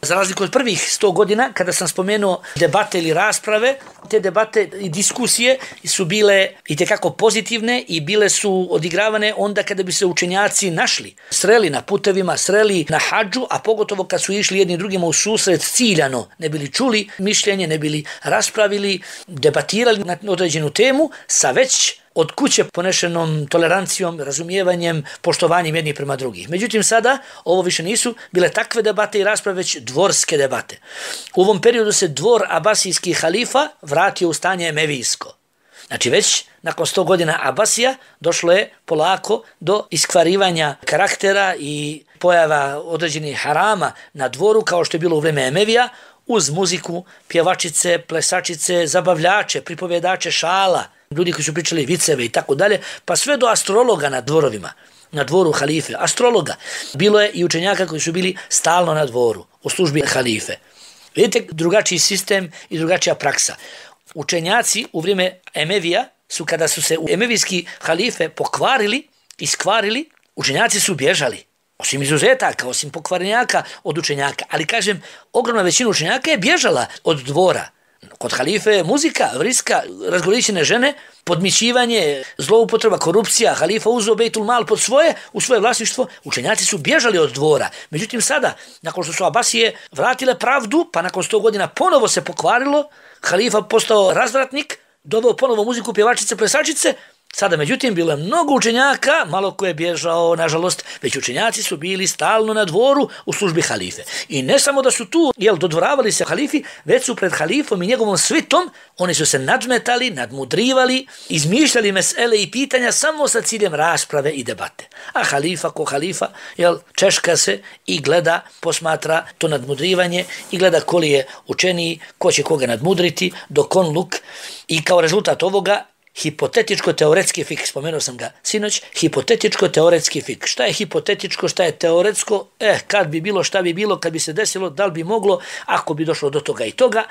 Za razliku od prvih sto godina, kada sam spomenuo debate ili rasprave, te debate i diskusije su bile itekako pozitivne i bile su odigravane onda kada bi se učenjaci našli, sreli na putevima, sreli na hadžu, a pogotovo kad su išli jedni drugima u susret ciljano, ne bili čuli mišljenje, ne bili raspravili, debatirali na određenu temu sa već od kuće ponešenom tolerancijom, razumijevanjem, poštovanjem jednih prema drugih. Međutim, sada ovo više nisu bile takve debate i rasprave, već dvorske debate. U ovom periodu se dvor abasijskih halifa vratio u stanje emevijsko. Znači već nakon sto godina Abasija došlo je polako do iskvarivanja karaktera i pojava određenih harama na dvoru kao što je bilo u vrijeme Emevija, uz muziku, pjevačice, plesačice, zabavljače, pripovjedače šala, ljudi koji su pričali viceve i tako dalje, pa sve do astrologa na dvorovima, na dvoru halife. Astrologa. Bilo je i učenjaka koji su bili stalno na dvoru, u službi halife. Vidite, drugačiji sistem i drugačija praksa. Učenjaci u vrijeme Emevija su, kada su se emevijski halife pokvarili, iskvarili, učenjaci su bježali. Osim izuzetaka, osim pokvarenjaka od učenjaka. Ali kažem, ogromna većina učenjaka je bježala od dvora. Kod halife je muzika, vriska, razgoličene žene, podmićivanje, zloupotreba, korupcija, halifa uzeo Bejtul Mal pod svoje, u svoje vlasništvo, učenjaci su bježali od dvora. Međutim sada, nakon što su Abasije vratile pravdu, pa nakon sto godina ponovo se pokvarilo, halifa postao razvratnik, doveo ponovo muziku, pjevačice, plesačice. Sada, međutim, bilo je mnogo učenjaka, malo ko je bježao, nažalost, već učenjaci su bili stalno na dvoru u službi halife. I ne samo da su tu, jel, dodvoravali se halifi, već su pred halifom i njegovom svitom, oni su se nadmetali, nadmudrivali, izmišljali mesele i pitanja samo sa ciljem rasprave i debate. A halifa ko halifa, jel, češka se i gleda, posmatra to nadmudrivanje i gleda ko li je učeniji, ko će koga nadmudriti, dok on luk. I kao rezultat ovoga, hipotetičko-teoretski fik, spomenuo sam ga sinoć, hipotetičko-teoretski fik. Šta je hipotetičko, šta je teoretsko? Eh, kad bi bilo, šta bi bilo, kad bi se desilo, da li bi moglo, ako bi došlo do toga i toga.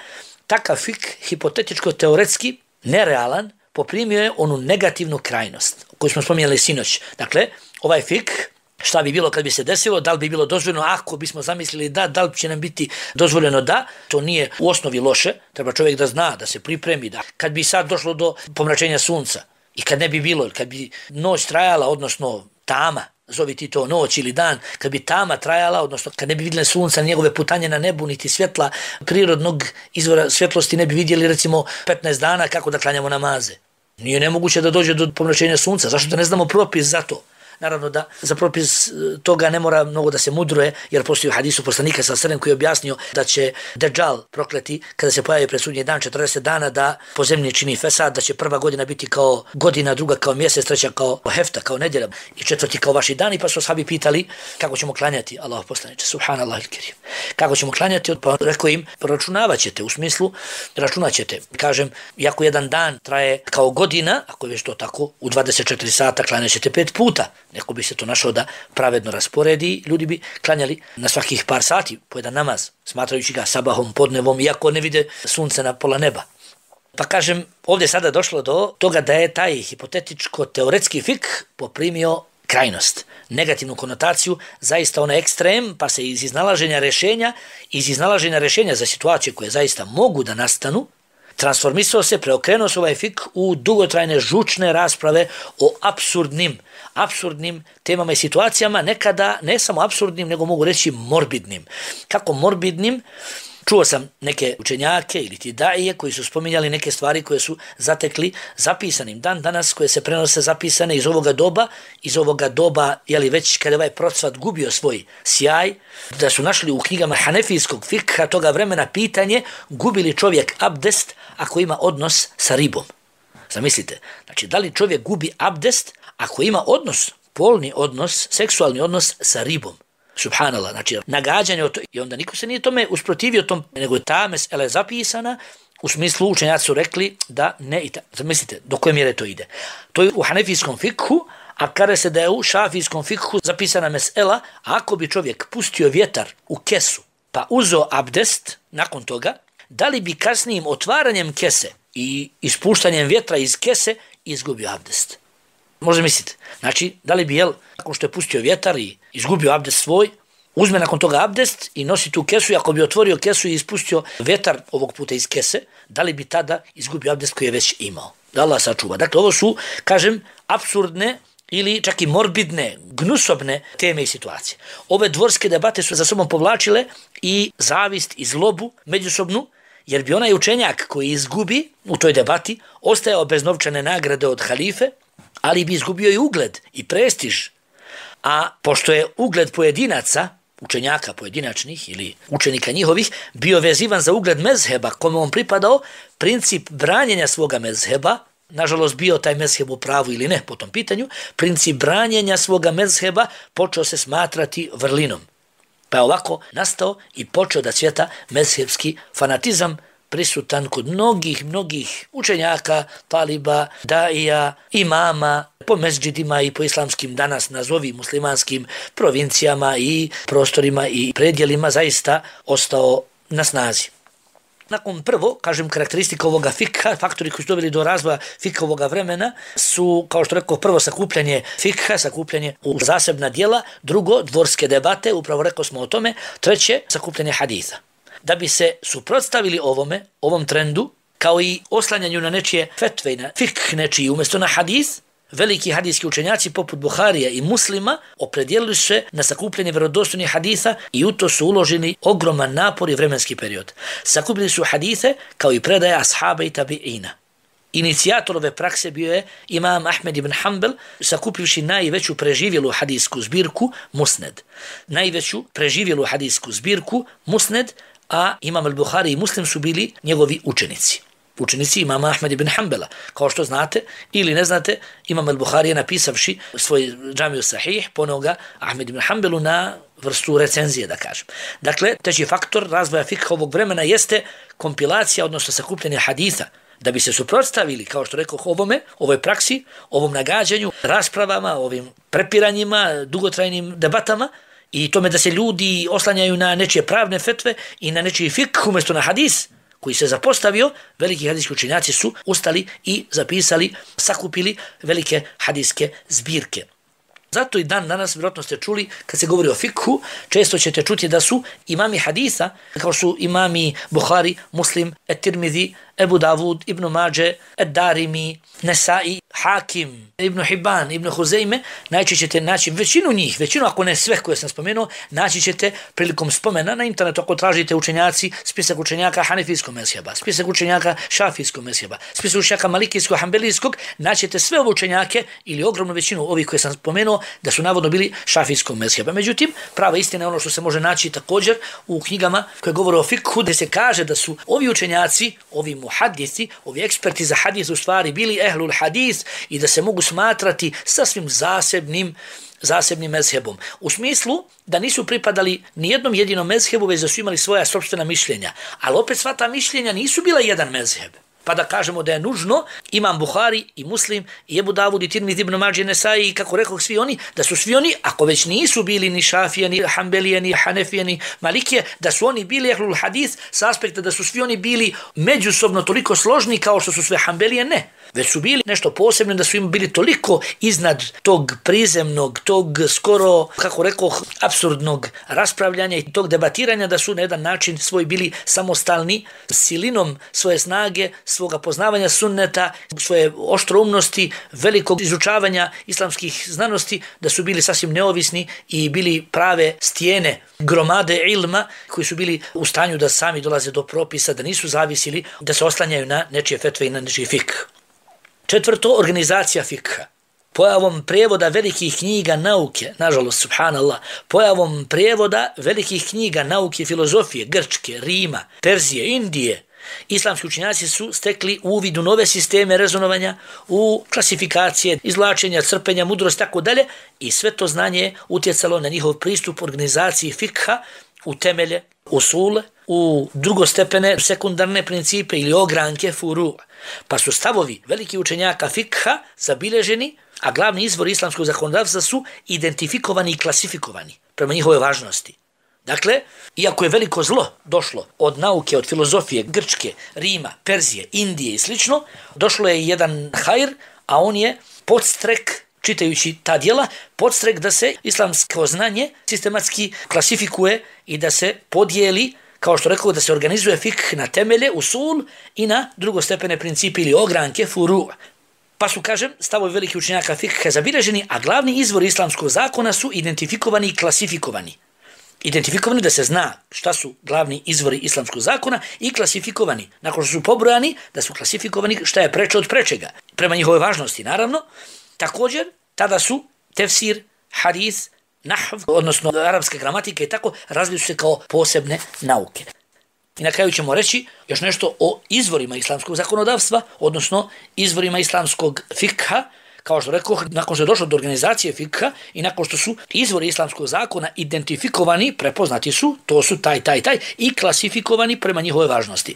Takav fik, hipotetičko-teoretski, nerealan, poprimio je onu negativnu krajnost koju smo spominjali sinoć. Dakle, ovaj fik, šta bi bilo kad bi se desilo, da li bi bilo dozvoljeno ako bismo zamislili da, da li će nam biti dozvoljeno da, to nije u osnovi loše, treba čovjek da zna, da se pripremi, da kad bi sad došlo do pomračenja sunca i kad ne bi bilo, kad bi noć trajala, odnosno tama, zovi ti to noć ili dan, kad bi tama trajala, odnosno kad ne bi vidjeli sunca, njegove putanje na nebu, niti svjetla prirodnog izvora svjetlosti ne bi vidjeli recimo petnaest dana kako da klanjamo namaze. Nije nemoguće da dođe do pomračenja sunca, zašto da ne znamo propis za to? Naravno da za propis toga ne mora mnogo da se mudruje, jer postoji u hadisu poslanika sa sredem koji je objasnio da će Dejjal prokleti kada se pojavi pred sudnji dan četrdeset dana da po zemlji čini fesad, da će prva godina biti kao godina, druga kao mjesec, treća kao hefta, kao nedjelja i četvrti kao vaši dani, pa su ashabi pitali kako ćemo klanjati, Allah poslaniče, subhanallah il-kerim. Kako ćemo klanjati? Pa rekao im, računavat ćete, u smislu računat ćete. Kažem, iako jedan dan traje kao godina, ako je već to tako, u dvadeset četiri sata klanjat ćete pet puta. Neko bi se to našao da pravedno rasporedi, ljudi bi klanjali na svakih par sati po jedan namaz, smatrajući ga sabahom, podnevom, iako ne vide sunce na pola neba. Pa kažem, ovdje sada došlo do toga da je taj hipotetičko-teoretski fik poprimio krajnost, negativnu konotaciju, zaista onaj ekstrem, pa se iz iznalaženja rješenja, iz iznalaženja rješenja za situacije koje zaista mogu da nastanu, transformisao se, preokrenuo se ovaj fik u dugotrajne žučne rasprave o apsurdnim, apsurdnim temama i situacijama, nekada ne samo apsurdnim, nego mogu reći morbidnim. Kako morbidnim? Čuo sam neke učenjake ili ti daije koji su spominjali neke stvari koje su zatekli zapisanim dan danas, koje se prenose zapisane iz ovoga doba, iz ovoga doba, jeli već kada ovaj procvat gubio svoj sjaj, da su našli u knjigama hanefijskog fikha toga vremena pitanje gubi li čovjek abdest ako ima odnos sa ribom. Zamislite, znači da li čovjek gubi abdest ako ima odnos, polni odnos, seksualni odnos sa ribom. Subhanallah, znači nagađanje o to, i onda niko se nije tome usprotivio tom, nego je ta mesela je zapisana, u smislu učenjaci su rekli da ne i ta. Zamislite, do koje mjere to ide. To je u hanefijskom fikhu, a kada se da je u šafijskom fikhu zapisana mesela, ako bi čovjek pustio vjetar u kesu, pa uzeo abdest nakon toga, da li bi kasnijim otvaranjem kese i ispuštanjem vjetra iz kese izgubio abdest? Možda mislite, znači, da li bi, jel, nakon što je pustio vjetar i izgubio abdest svoj, uzme nakon toga abdest i nosi tu kesu i ako bi otvorio kesu i ispustio vjetar ovog puta iz kese, da li bi tada izgubio abdest koji je već imao? Da Allah sačuva. Dakle, ovo su, kažem, apsurdne ili čak i morbidne, gnusobne teme i situacije. Ove dvorske debate su za sobom povlačile i zavist i zlobu međusobnu, jer bi onaj učenjak koji izgubi u toj debati ostajao bez novčane nagrade od halife, ali bi izgubio i ugled i prestiž. A pošto je ugled pojedinaca, učenjaka pojedinačnih ili učenika njihovih, bio vezivan za ugled mezheba kome on pripadao, princip branjenja svoga mezheba, nažalost bio taj mezheb u pravu ili ne po tom pitanju, princip branjenja svoga mezheba počeo se smatrati vrlinom. Pa je ovako nastao i počeo da cvjeta mezhebski fanatizam, prisutan kod mnogih, mnogih učenjaka, taliba, daija, imama, po mezđidima i po islamskim danas nazovi muslimanskim provincijama i prostorima i predjelima zaista ostao na snazi. Nakon prvo, kažem, karakteristika ovoga fikha, faktori koji su doveli do razvoja fikha ovoga vremena su, kao što rekao, prvo sakupljanje fikha, sakupljanje u zasebna djela, drugo, dvorske debate, upravo rekao smo o tome, treće, sakupljanje haditha. Da bi se suprotstavili ovome, ovom trendu, kao i oslanjanju na nečije fetve i na fikh nečiji umjesto na hadith, veliki hadijski učenjaci poput Buharija i Muslima opredijelili se na sakupljanje vjerodostojnih haditha i u to su uloženi ogroman napor i vremenski period. Sakupili su hadithe kao i predaje ashaba i tabi'ina. Inicijator ove prakse bio je imam Ahmed ibn Hanbel, sakupivši najveću preživjelu hadijsku zbirku Musned. Najveću preživjelu hadijsku zbirku Musned, a imam al-Buhari i Muslim su bili njegovi učenici. Učenici imama Ahmed ibn Hanbela. Kao što znate ili ne znate, imam al-Buhari je napisavši svoj džamiju sahih, poneo ga Ahmed ibn Hanbelu na vrstu recenzije, da kažem. Dakle, treći faktor razvoja fikha ovog vremena jeste kompilacija, odnosno sakupljanje haditha, da bi se suprotstavili, kao što rekao, ovome, ovoj praksi, ovom nagađanju, raspravama, ovim prepiranjima, dugotrajnim debatama i tome da se ljudi oslanjaju na nečije pravne fetve i na nečiji fikh umjesto na hadis, koji se zapostavio, veliki hadijski učenjaci su ustali i zapisali, sakupili velike hadijske zbirke. Zato i dan danas, vjerojatno ste čuli, kad se govori o fikhu, često ćete čuti da su imami haditha, kao su imami Buhari, Muslim, Et-Tirmidhi, Ebu Davud, Ibn Mađe, Ed-Darimi, Nesai, Hakim, Ibn Hibban, Ibn Huzeyme, naći ćete naći većinu njih, većinu ako ne sve koje sam spomenuo, naći ćete prilikom spomena na internetu ako tražite učenjaci, spisak učenjaka hanefijskog mezheba, spisak učenjaka šafijskog mezheba, spisak učenjaka malikijskog, hambelijskog, naćete sve ove učenjake ili ogromnu većinu ovih koje sam spomenuo da su navodno bili šafijskog mezheba. Međutim, prava istina je ono što se može naći također u knjigama koje govore o fikhu, gdje se kaže da su ovi učenjaci, ovi muhadisi, ovi eksperti za hadis u stvari bili ehlul hadis i da se mogu smatrati sasvim zasebnim zasebnim mezhebom. U smislu da nisu pripadali ni jednom jedinom mezhebu, već da su imali svoja sopstvena mišljenja. Ali opet sva ta mišljenja nisu bila jedan mezheb. Pa da kažemo da je nužno imam Buhari i Muslim i Ebu Davud i Tirmidhi ibn Mađe Nesai i kako rekao svi oni, da su svi oni, ako već nisu bili ni Šafije, ni Hanbelije, ni Hanefije, ni Malikije, da su oni bili ehlul hadis s aspekta da su svi oni bili međusobno toliko složni kao što su sve Hanbelije, ne. Već su bili nešto posebno, da su im bili toliko iznad tog prizemnog, tog skoro, kako rekao, apsurdnog raspravljanja i tog debatiranja, da su na jedan način svoj bili samostalni, silinom svoje snage, svoga poznavanja sunneta, svoje oštroumnosti, velikog izučavanja islamskih znanosti, da su bili sasvim neovisni i bili prave stijene, gromade ilma, koji su bili u stanju da sami dolaze do propisa, da nisu zavisili, da se oslanjaju na nečije fetve i na nečiji fikh. Četvrto, organizacija fikha. Pojavom prijevoda velikih knjiga nauke, nažalost, subhanallah, pojavom prijevoda velikih knjiga nauke, filozofije, Grčke, Rima, Perzije, Indije, islamski učenjaci su stekli uvid u nove sisteme rezonovanja, u klasifikacije, izvlačenja, crpenja, mudrost, tako dalje, i sve to znanje je utjecalo na njihov pristup organizaciji fikha u temelje, usule, u drugostepene, sekundarne principe ili ogranke, furu. Pa su stavovi veliki učenjaka fikha zabilježeni, a glavni izvor islamskog zakonodavstva su identifikovani i klasifikovani prema njihovoj važnosti. Dakle, iako je veliko zlo došlo od nauke, od filozofije Grčke, Rima, Perzije, Indije i slično, došlo je jedan hajr, a on je podstrek, čitajući ta djela, podstrek da se islamsko znanje sistematski klasifikuje i da se podijeli, kao što rekao, da se organizuje fikh na temelje, usul i na drugostepene principe ili ogranke, furu. Pa su, kažem, stavovi velikih učenjaka fikha zabilježeni, a glavni izvor islamskog zakona su identifikovani i klasifikovani. Identifikovani da se zna šta su glavni izvori islamskog zakona i klasifikovani. Nakon što su pobrojani, da su klasifikovani šta je preče od prečega. Prema njihove važnosti, naravno. Također, tada su tefsir, hadis, nahv, odnosno arapska gramatika i tako, razvili su se kao posebne nauke. I na kraju ćemo reći još nešto o izvorima islamskog zakonodavstva, odnosno izvorima islamskog fikha, kao što rekao, nakon što je došlo do organizacije fikha i nakon što su izvori islamskog zakona identifikovani, prepoznati su, to su taj, taj, taj, i klasifikovani prema njihove važnosti.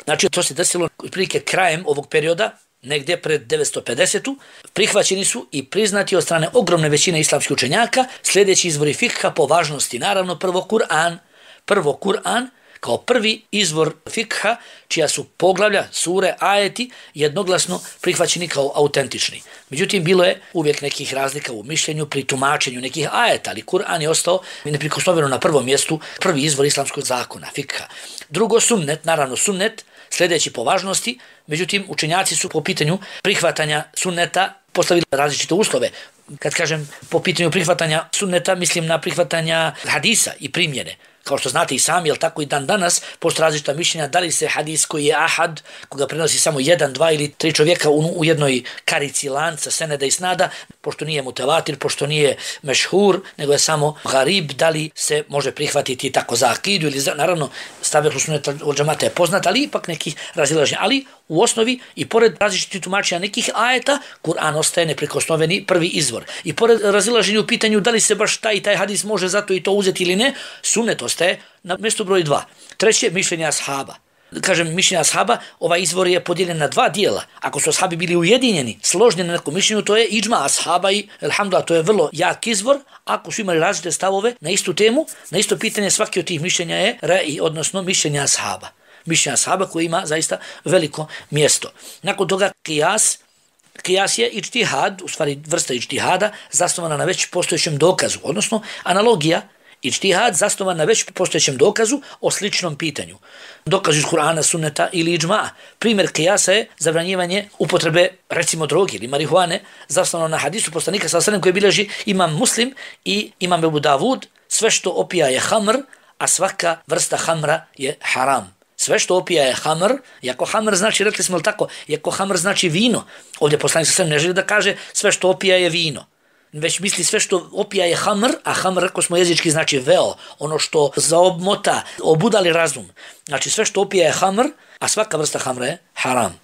Znači, to se desilo prilike krajem ovog perioda, negdje pred devetsto pedesetu. Prihvaćeni su i priznati od strane ogromne većine islamskih učenjaka sljedeći izvori fikha po važnosti. Naravno, prvo Kur'an, prvo Kur'an, kao prvi izvor fikha, čija su poglavlja, sure, ajeti, jednoglasno prihvaćeni kao autentični. Međutim, bilo je uvijek nekih razlika u mišljenju, pri tumačenju nekih ajeta, ali Kur'an je ostao neprikosnoveno na prvom mjestu, prvi izvor islamskog zakona, fikha. Drugo, sunnet, naravno sunnet, sljedeći po važnosti, međutim, učenjaci su po pitanju prihvatanja sunneta postavili različite uslove. Kad kažem po pitanju prihvatanja sunneta, mislim na prihvatanja hadisa i primjene. Kao što znate i sami, jel tako i dan danas, postoje različita mišljenja da li se hadis koji je ahad, koga prenosi samo jedan, dva ili tri čovjeka u, u jednoj karici lanca, seneda i snada, pošto nije mutevatir, pošto nije mešhur, nego je samo garib, da li se može prihvatiti tako za akidu ili za, naravno, stavljaju sunneta od džamata je poznat, ali ipak nekih razilaženja. Ali u osnovi i pored različitih tumačenja nekih ajeta, Kur'an ostaje neprikosnoveni prvi izvor. I pored razilaženja u pitanju da li se baš taj i taj hadis može zato i to uzeti ili ne, sunnet ostaje na mjestu broj dva. Treće, mišljenja ashaba. Kažem, mišljenja ashaba, ovaj izvor je podijeljen na dva dijela. Ako su ashabi bili ujedinjeni, složni na nekom mišljenju, to je iđma ashaba i, alhamdulillah, to je vrlo jak izvor. Ako su imali različite stavove na istu temu, na isto pitanje, svaki od tih mišljenja je ra'i, odnosno mišljenja ashaba. Mišljenja ashaba koji ima zaista veliko mjesto. Nakon toga kijas, kijas je ičtihad, u stvari vrsta ičtihada, zasnovana na već postojećem dokazu, odnosno analogija, ičtihad zasnovan na već postojećem dokazu o sličnom pitanju. Dokaz iz Kur'ana, sunneta ili iđma. Primjer kijasa je zabranjivanje upotrebe, recimo, droge ili marihuane, zasnovano na hadisu poslanika sallallahu alejhi ve sellem koji bilježi imam Muslim i imam Ebu Davud, sve što opija je hamr, a svaka vrsta hamra je haram. Sve što opija je hamr, iako hamr znači, rekli smo li tako, iako hamr znači vino, ovdje poslanik sallallahu alejhi ve sellem ne želi da kaže sve što opija je vino, već misli sve što opija je hamr, a hamr, rekao smo jezički, znači veo, ono što zaobmota, obudali razum. Znači sve što opija je hamr, a svaka vrsta hamra je haram.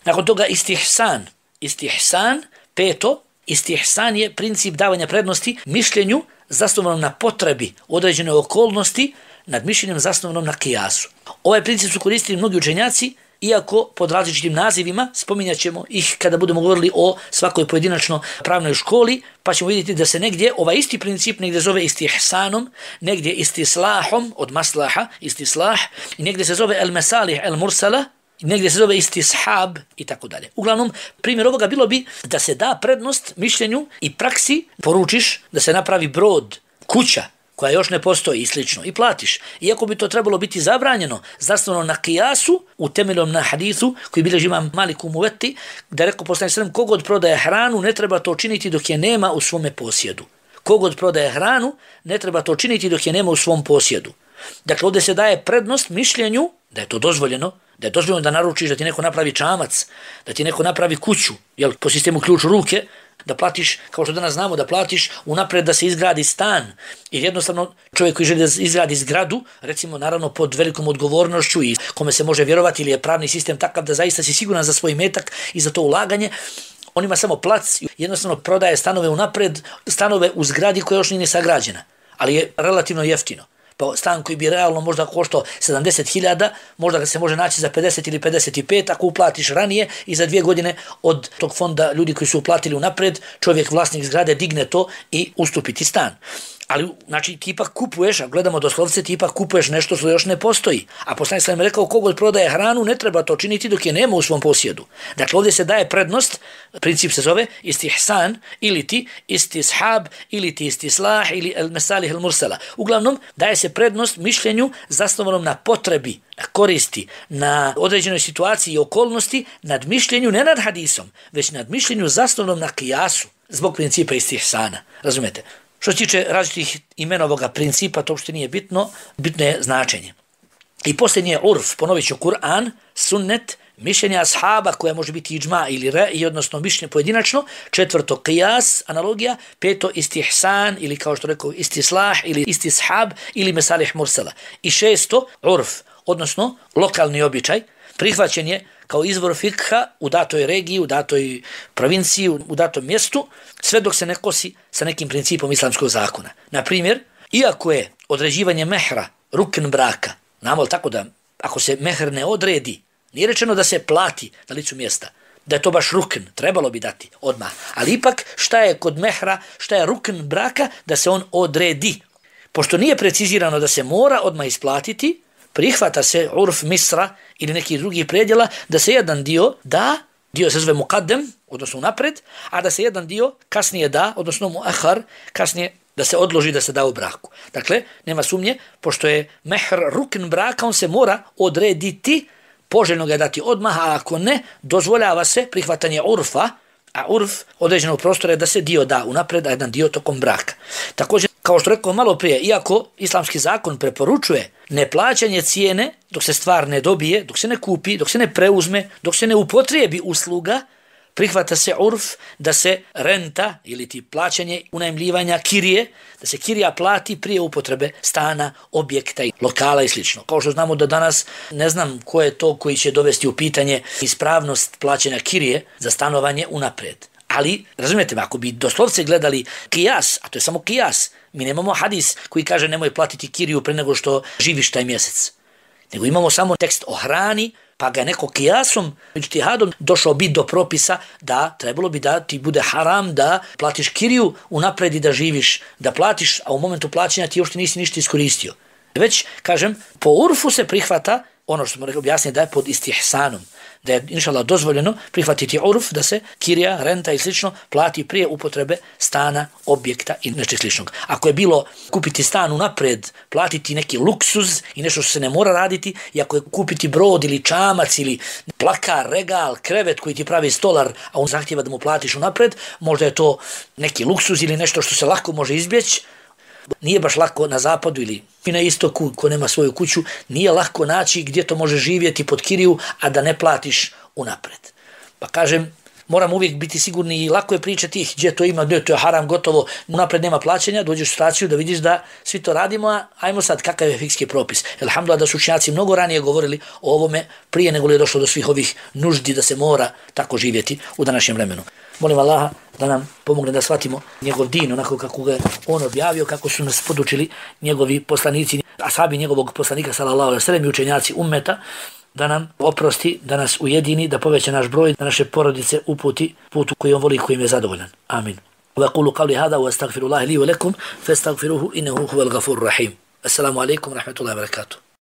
Nakon toga istihsan. Istihsan, peto, istihsan je princip davanja prednosti mišljenju zasnovanom na potrebi određene okolnosti nad mišljenjem zasnovanom na kijasu. Ovaj princip su koristili mnogi učenjaci, iako pod različitim nazivima, spominjat ćemo ih kada budemo govorili o svakoj pojedinačno pravnoj školi, pa ćemo vidjeti da se negdje ovaj isti princip negdje zove istihsanom, negdje istislahom od maslaha, istislah, i negdje se zove el mesalih el mursala, negdje se zove istishab i tako dalje. Uglavnom, primjer ovoga bilo bi da se da prednost mišljenju i praksi, poručiš da se napravi brod, kuća, koja još ne postoji i slično, i platiš. Iako bi to trebalo biti zabranjeno, zasnovano na kijasu, utemeljom na hadithu, koji bilježi imam Malik u Muveti, da je rekao poslanik sallallahu alejhi ve sellem, kogod prodaje hranu, ne treba to činiti dok je nema u svome posjedu. Kogod prodaje hranu, ne treba to činiti dok je nema u svom posjedu. Dakle, ovdje se daje prednost mišljenju da je to dozvoljeno, da je dozvoljeno da naručiš da ti neko napravi čamac, da ti neko napravi kuću, jel, po sistemu ključ u ruke, da platiš, kao što danas znamo, da platiš unapred da se izgradi stan. Jer jednostavno čovjek koji želi da izgradi zgradu, recimo naravno pod velikom odgovornošću i kome se može vjerovati ili je pravni sistem takav da zaista si siguran za svoj metak i za to ulaganje, on ima samo plac, jednostavno prodaje stanove unapred, stanove u zgradi koja još nije sagrađena, ali je relativno jeftino. Pa stan koji bi realno možda koštao sedamdeset hiljada, možda ga se može naći za pedeset ili pedeset pet ako uplatiš ranije i za dvije godine od tog fonda ljudi koji su uplatili unapred, čovjek vlasnik zgrade digne to i ustupiti stan. Ali, znači, ti ipak kupuješ, a gledamo doslovce, ti ipak kupuješ nešto što još ne postoji. A poslanik sallallahu alejhi ve sellem rekao, kogod prodaje hranu, ne treba to činiti dok je nema u svom posjedu. Dakle, ovdje se daje prednost, princip se zove istihsan, ili ti istishab, ili ti istislah, ili el mesalih el mursala. Uglavnom, daje se prednost mišljenju zasnovanom na potrebi, na koristi, na određenoj situaciji i okolnosti, nad mišljenju, ne nad hadisom, već nad mišljenju zasnovanom na kijasu, zbog principa istihsana. Razumete? Što se tiče različitih imena ovoga principa, to uopšte nije bitno, bitno je značenje. I posljednji je urf, ponovit ću Kur'an, sunnet, mišljenje ashaba koja može biti iđma ili re, i odnosno mišljenje pojedinačno, četvrto qiyas, analogija, peto istihsan ili kao što rekao istislah ili istishab ili mesalih mursala. I šesto urf, odnosno lokalni običaj, prihvaćen je kao izvor fikha u datoj regiji, u datoj provinciji, u datom mjestu, sve dok se ne kosi sa nekim principom islamskog zakona. Na primjer, iako je određivanje mehra rukn braka, znamo tako da ako se mehr ne odredi, nije rečeno da se plati na licu mjesta, da je to baš rukn, trebalo bi dati odmah. Ali ipak šta je kod mehra, šta je rukn braka, da se on odredi. Pošto nije precizirano da se mora odmah isplatiti, prihvata se urf misra ili neki drugi predjela da se jedan dio da, dio se zove muqaddem, odnosno napred, a da se jedan dio kasnije da, odnosno muahar, kasnije da se odloži da se da u braku. Dakle, nema sumnje, pošto je mehr rukn braka, on se mora odrediti, poželjno ga dati odmah, a ako ne, dozvoljava se prihvatanje urfa, a urf određenog prostora je da se dio da unapred, a jedan dio tokom braka. Također, kao što rekao malo prije, iako islamski zakon preporučuje neplaćanje cijene dok se stvar ne dobije, dok se ne kupi, dok se ne preuzme, dok se ne upotrijebi usluga, prihvata se urf da se renta ili ti plaćanje unajmljivanja kirije, da se kirija plati prije upotrebe stana, objekta i lokala i slično. Kao što znamo da danas ne znam ko je to koji će dovesti u pitanje ispravnost plaćanja kirije za stanovanje unapred. Ali, razumijete me, ako bi doslovce gledali kijas, a to je samo kijas, mi nemamo hadis koji kaže nemoj platiti kiriju pre nego što živiš taj mjesec. Nego imamo samo tekst o hrani, pa ga neko kijasom, ijtihadom došao biti do propisa da trebalo bi da ti bude haram da platiš kiriju unapred i da živiš, da platiš, a u momentu plaćanja ti još nisi ništa iskoristio. Već, kažem, po urfu se prihvata ono što smo rekli objasnili da je pod istihsanom, da je inšallah dozvoljeno prihvatiti urf da se kirija, renta i slično plati prije upotrebe stana, objekta i nešto sličnog. Ako je bilo kupiti stan unapred, platiti neki luksuz i nešto što se ne mora raditi, i ako je kupiti brod ili čamac ili plakar, regal, krevet koji ti pravi stolar, a on zahtjeva da mu platiš unapred, možda je to neki luksuz ili nešto što se lako može izbjeći. Nije baš lako na zapadu ili na istoku, ko nema svoju kuću, nije lako naći gdje to može živjeti pod kiriju, a da ne platiš unapred. Pa kažem, moram uvijek biti sigurni i lako je pričati gdje to ima, gdje to je haram, gotovo, unapred nema plaćanja, dođeš u situaciju da vidiš da svi to radimo, a ajmo sad kakav je fikski propis. Elhamdulillah da su učenjaci mnogo ranije govorili o ovome prije nego li je došlo do svih ovih nuždi da se mora tako živjeti u današnjem vremenu. Molim Allaha da nam pomogne da shvatimo njegov din onako kako ga on objavio, kako su nas podučili njegovi poslanici, ashabi njegovog poslanika sallallahu alejhi ve sellem i učenjaci ummeta, da nam oprosti, da nas ujedini, da poveća naš broj, da naše porodice uputi putu koji on voli i kojim je zadovoljan. Amin. Wa qulu qawli hada wa astaghfirullaha li wa lakum fastaghfiruhu innahu huwal ghafurur rahim. Assalamu alaikum wa rahmatullahi wa barakatuh.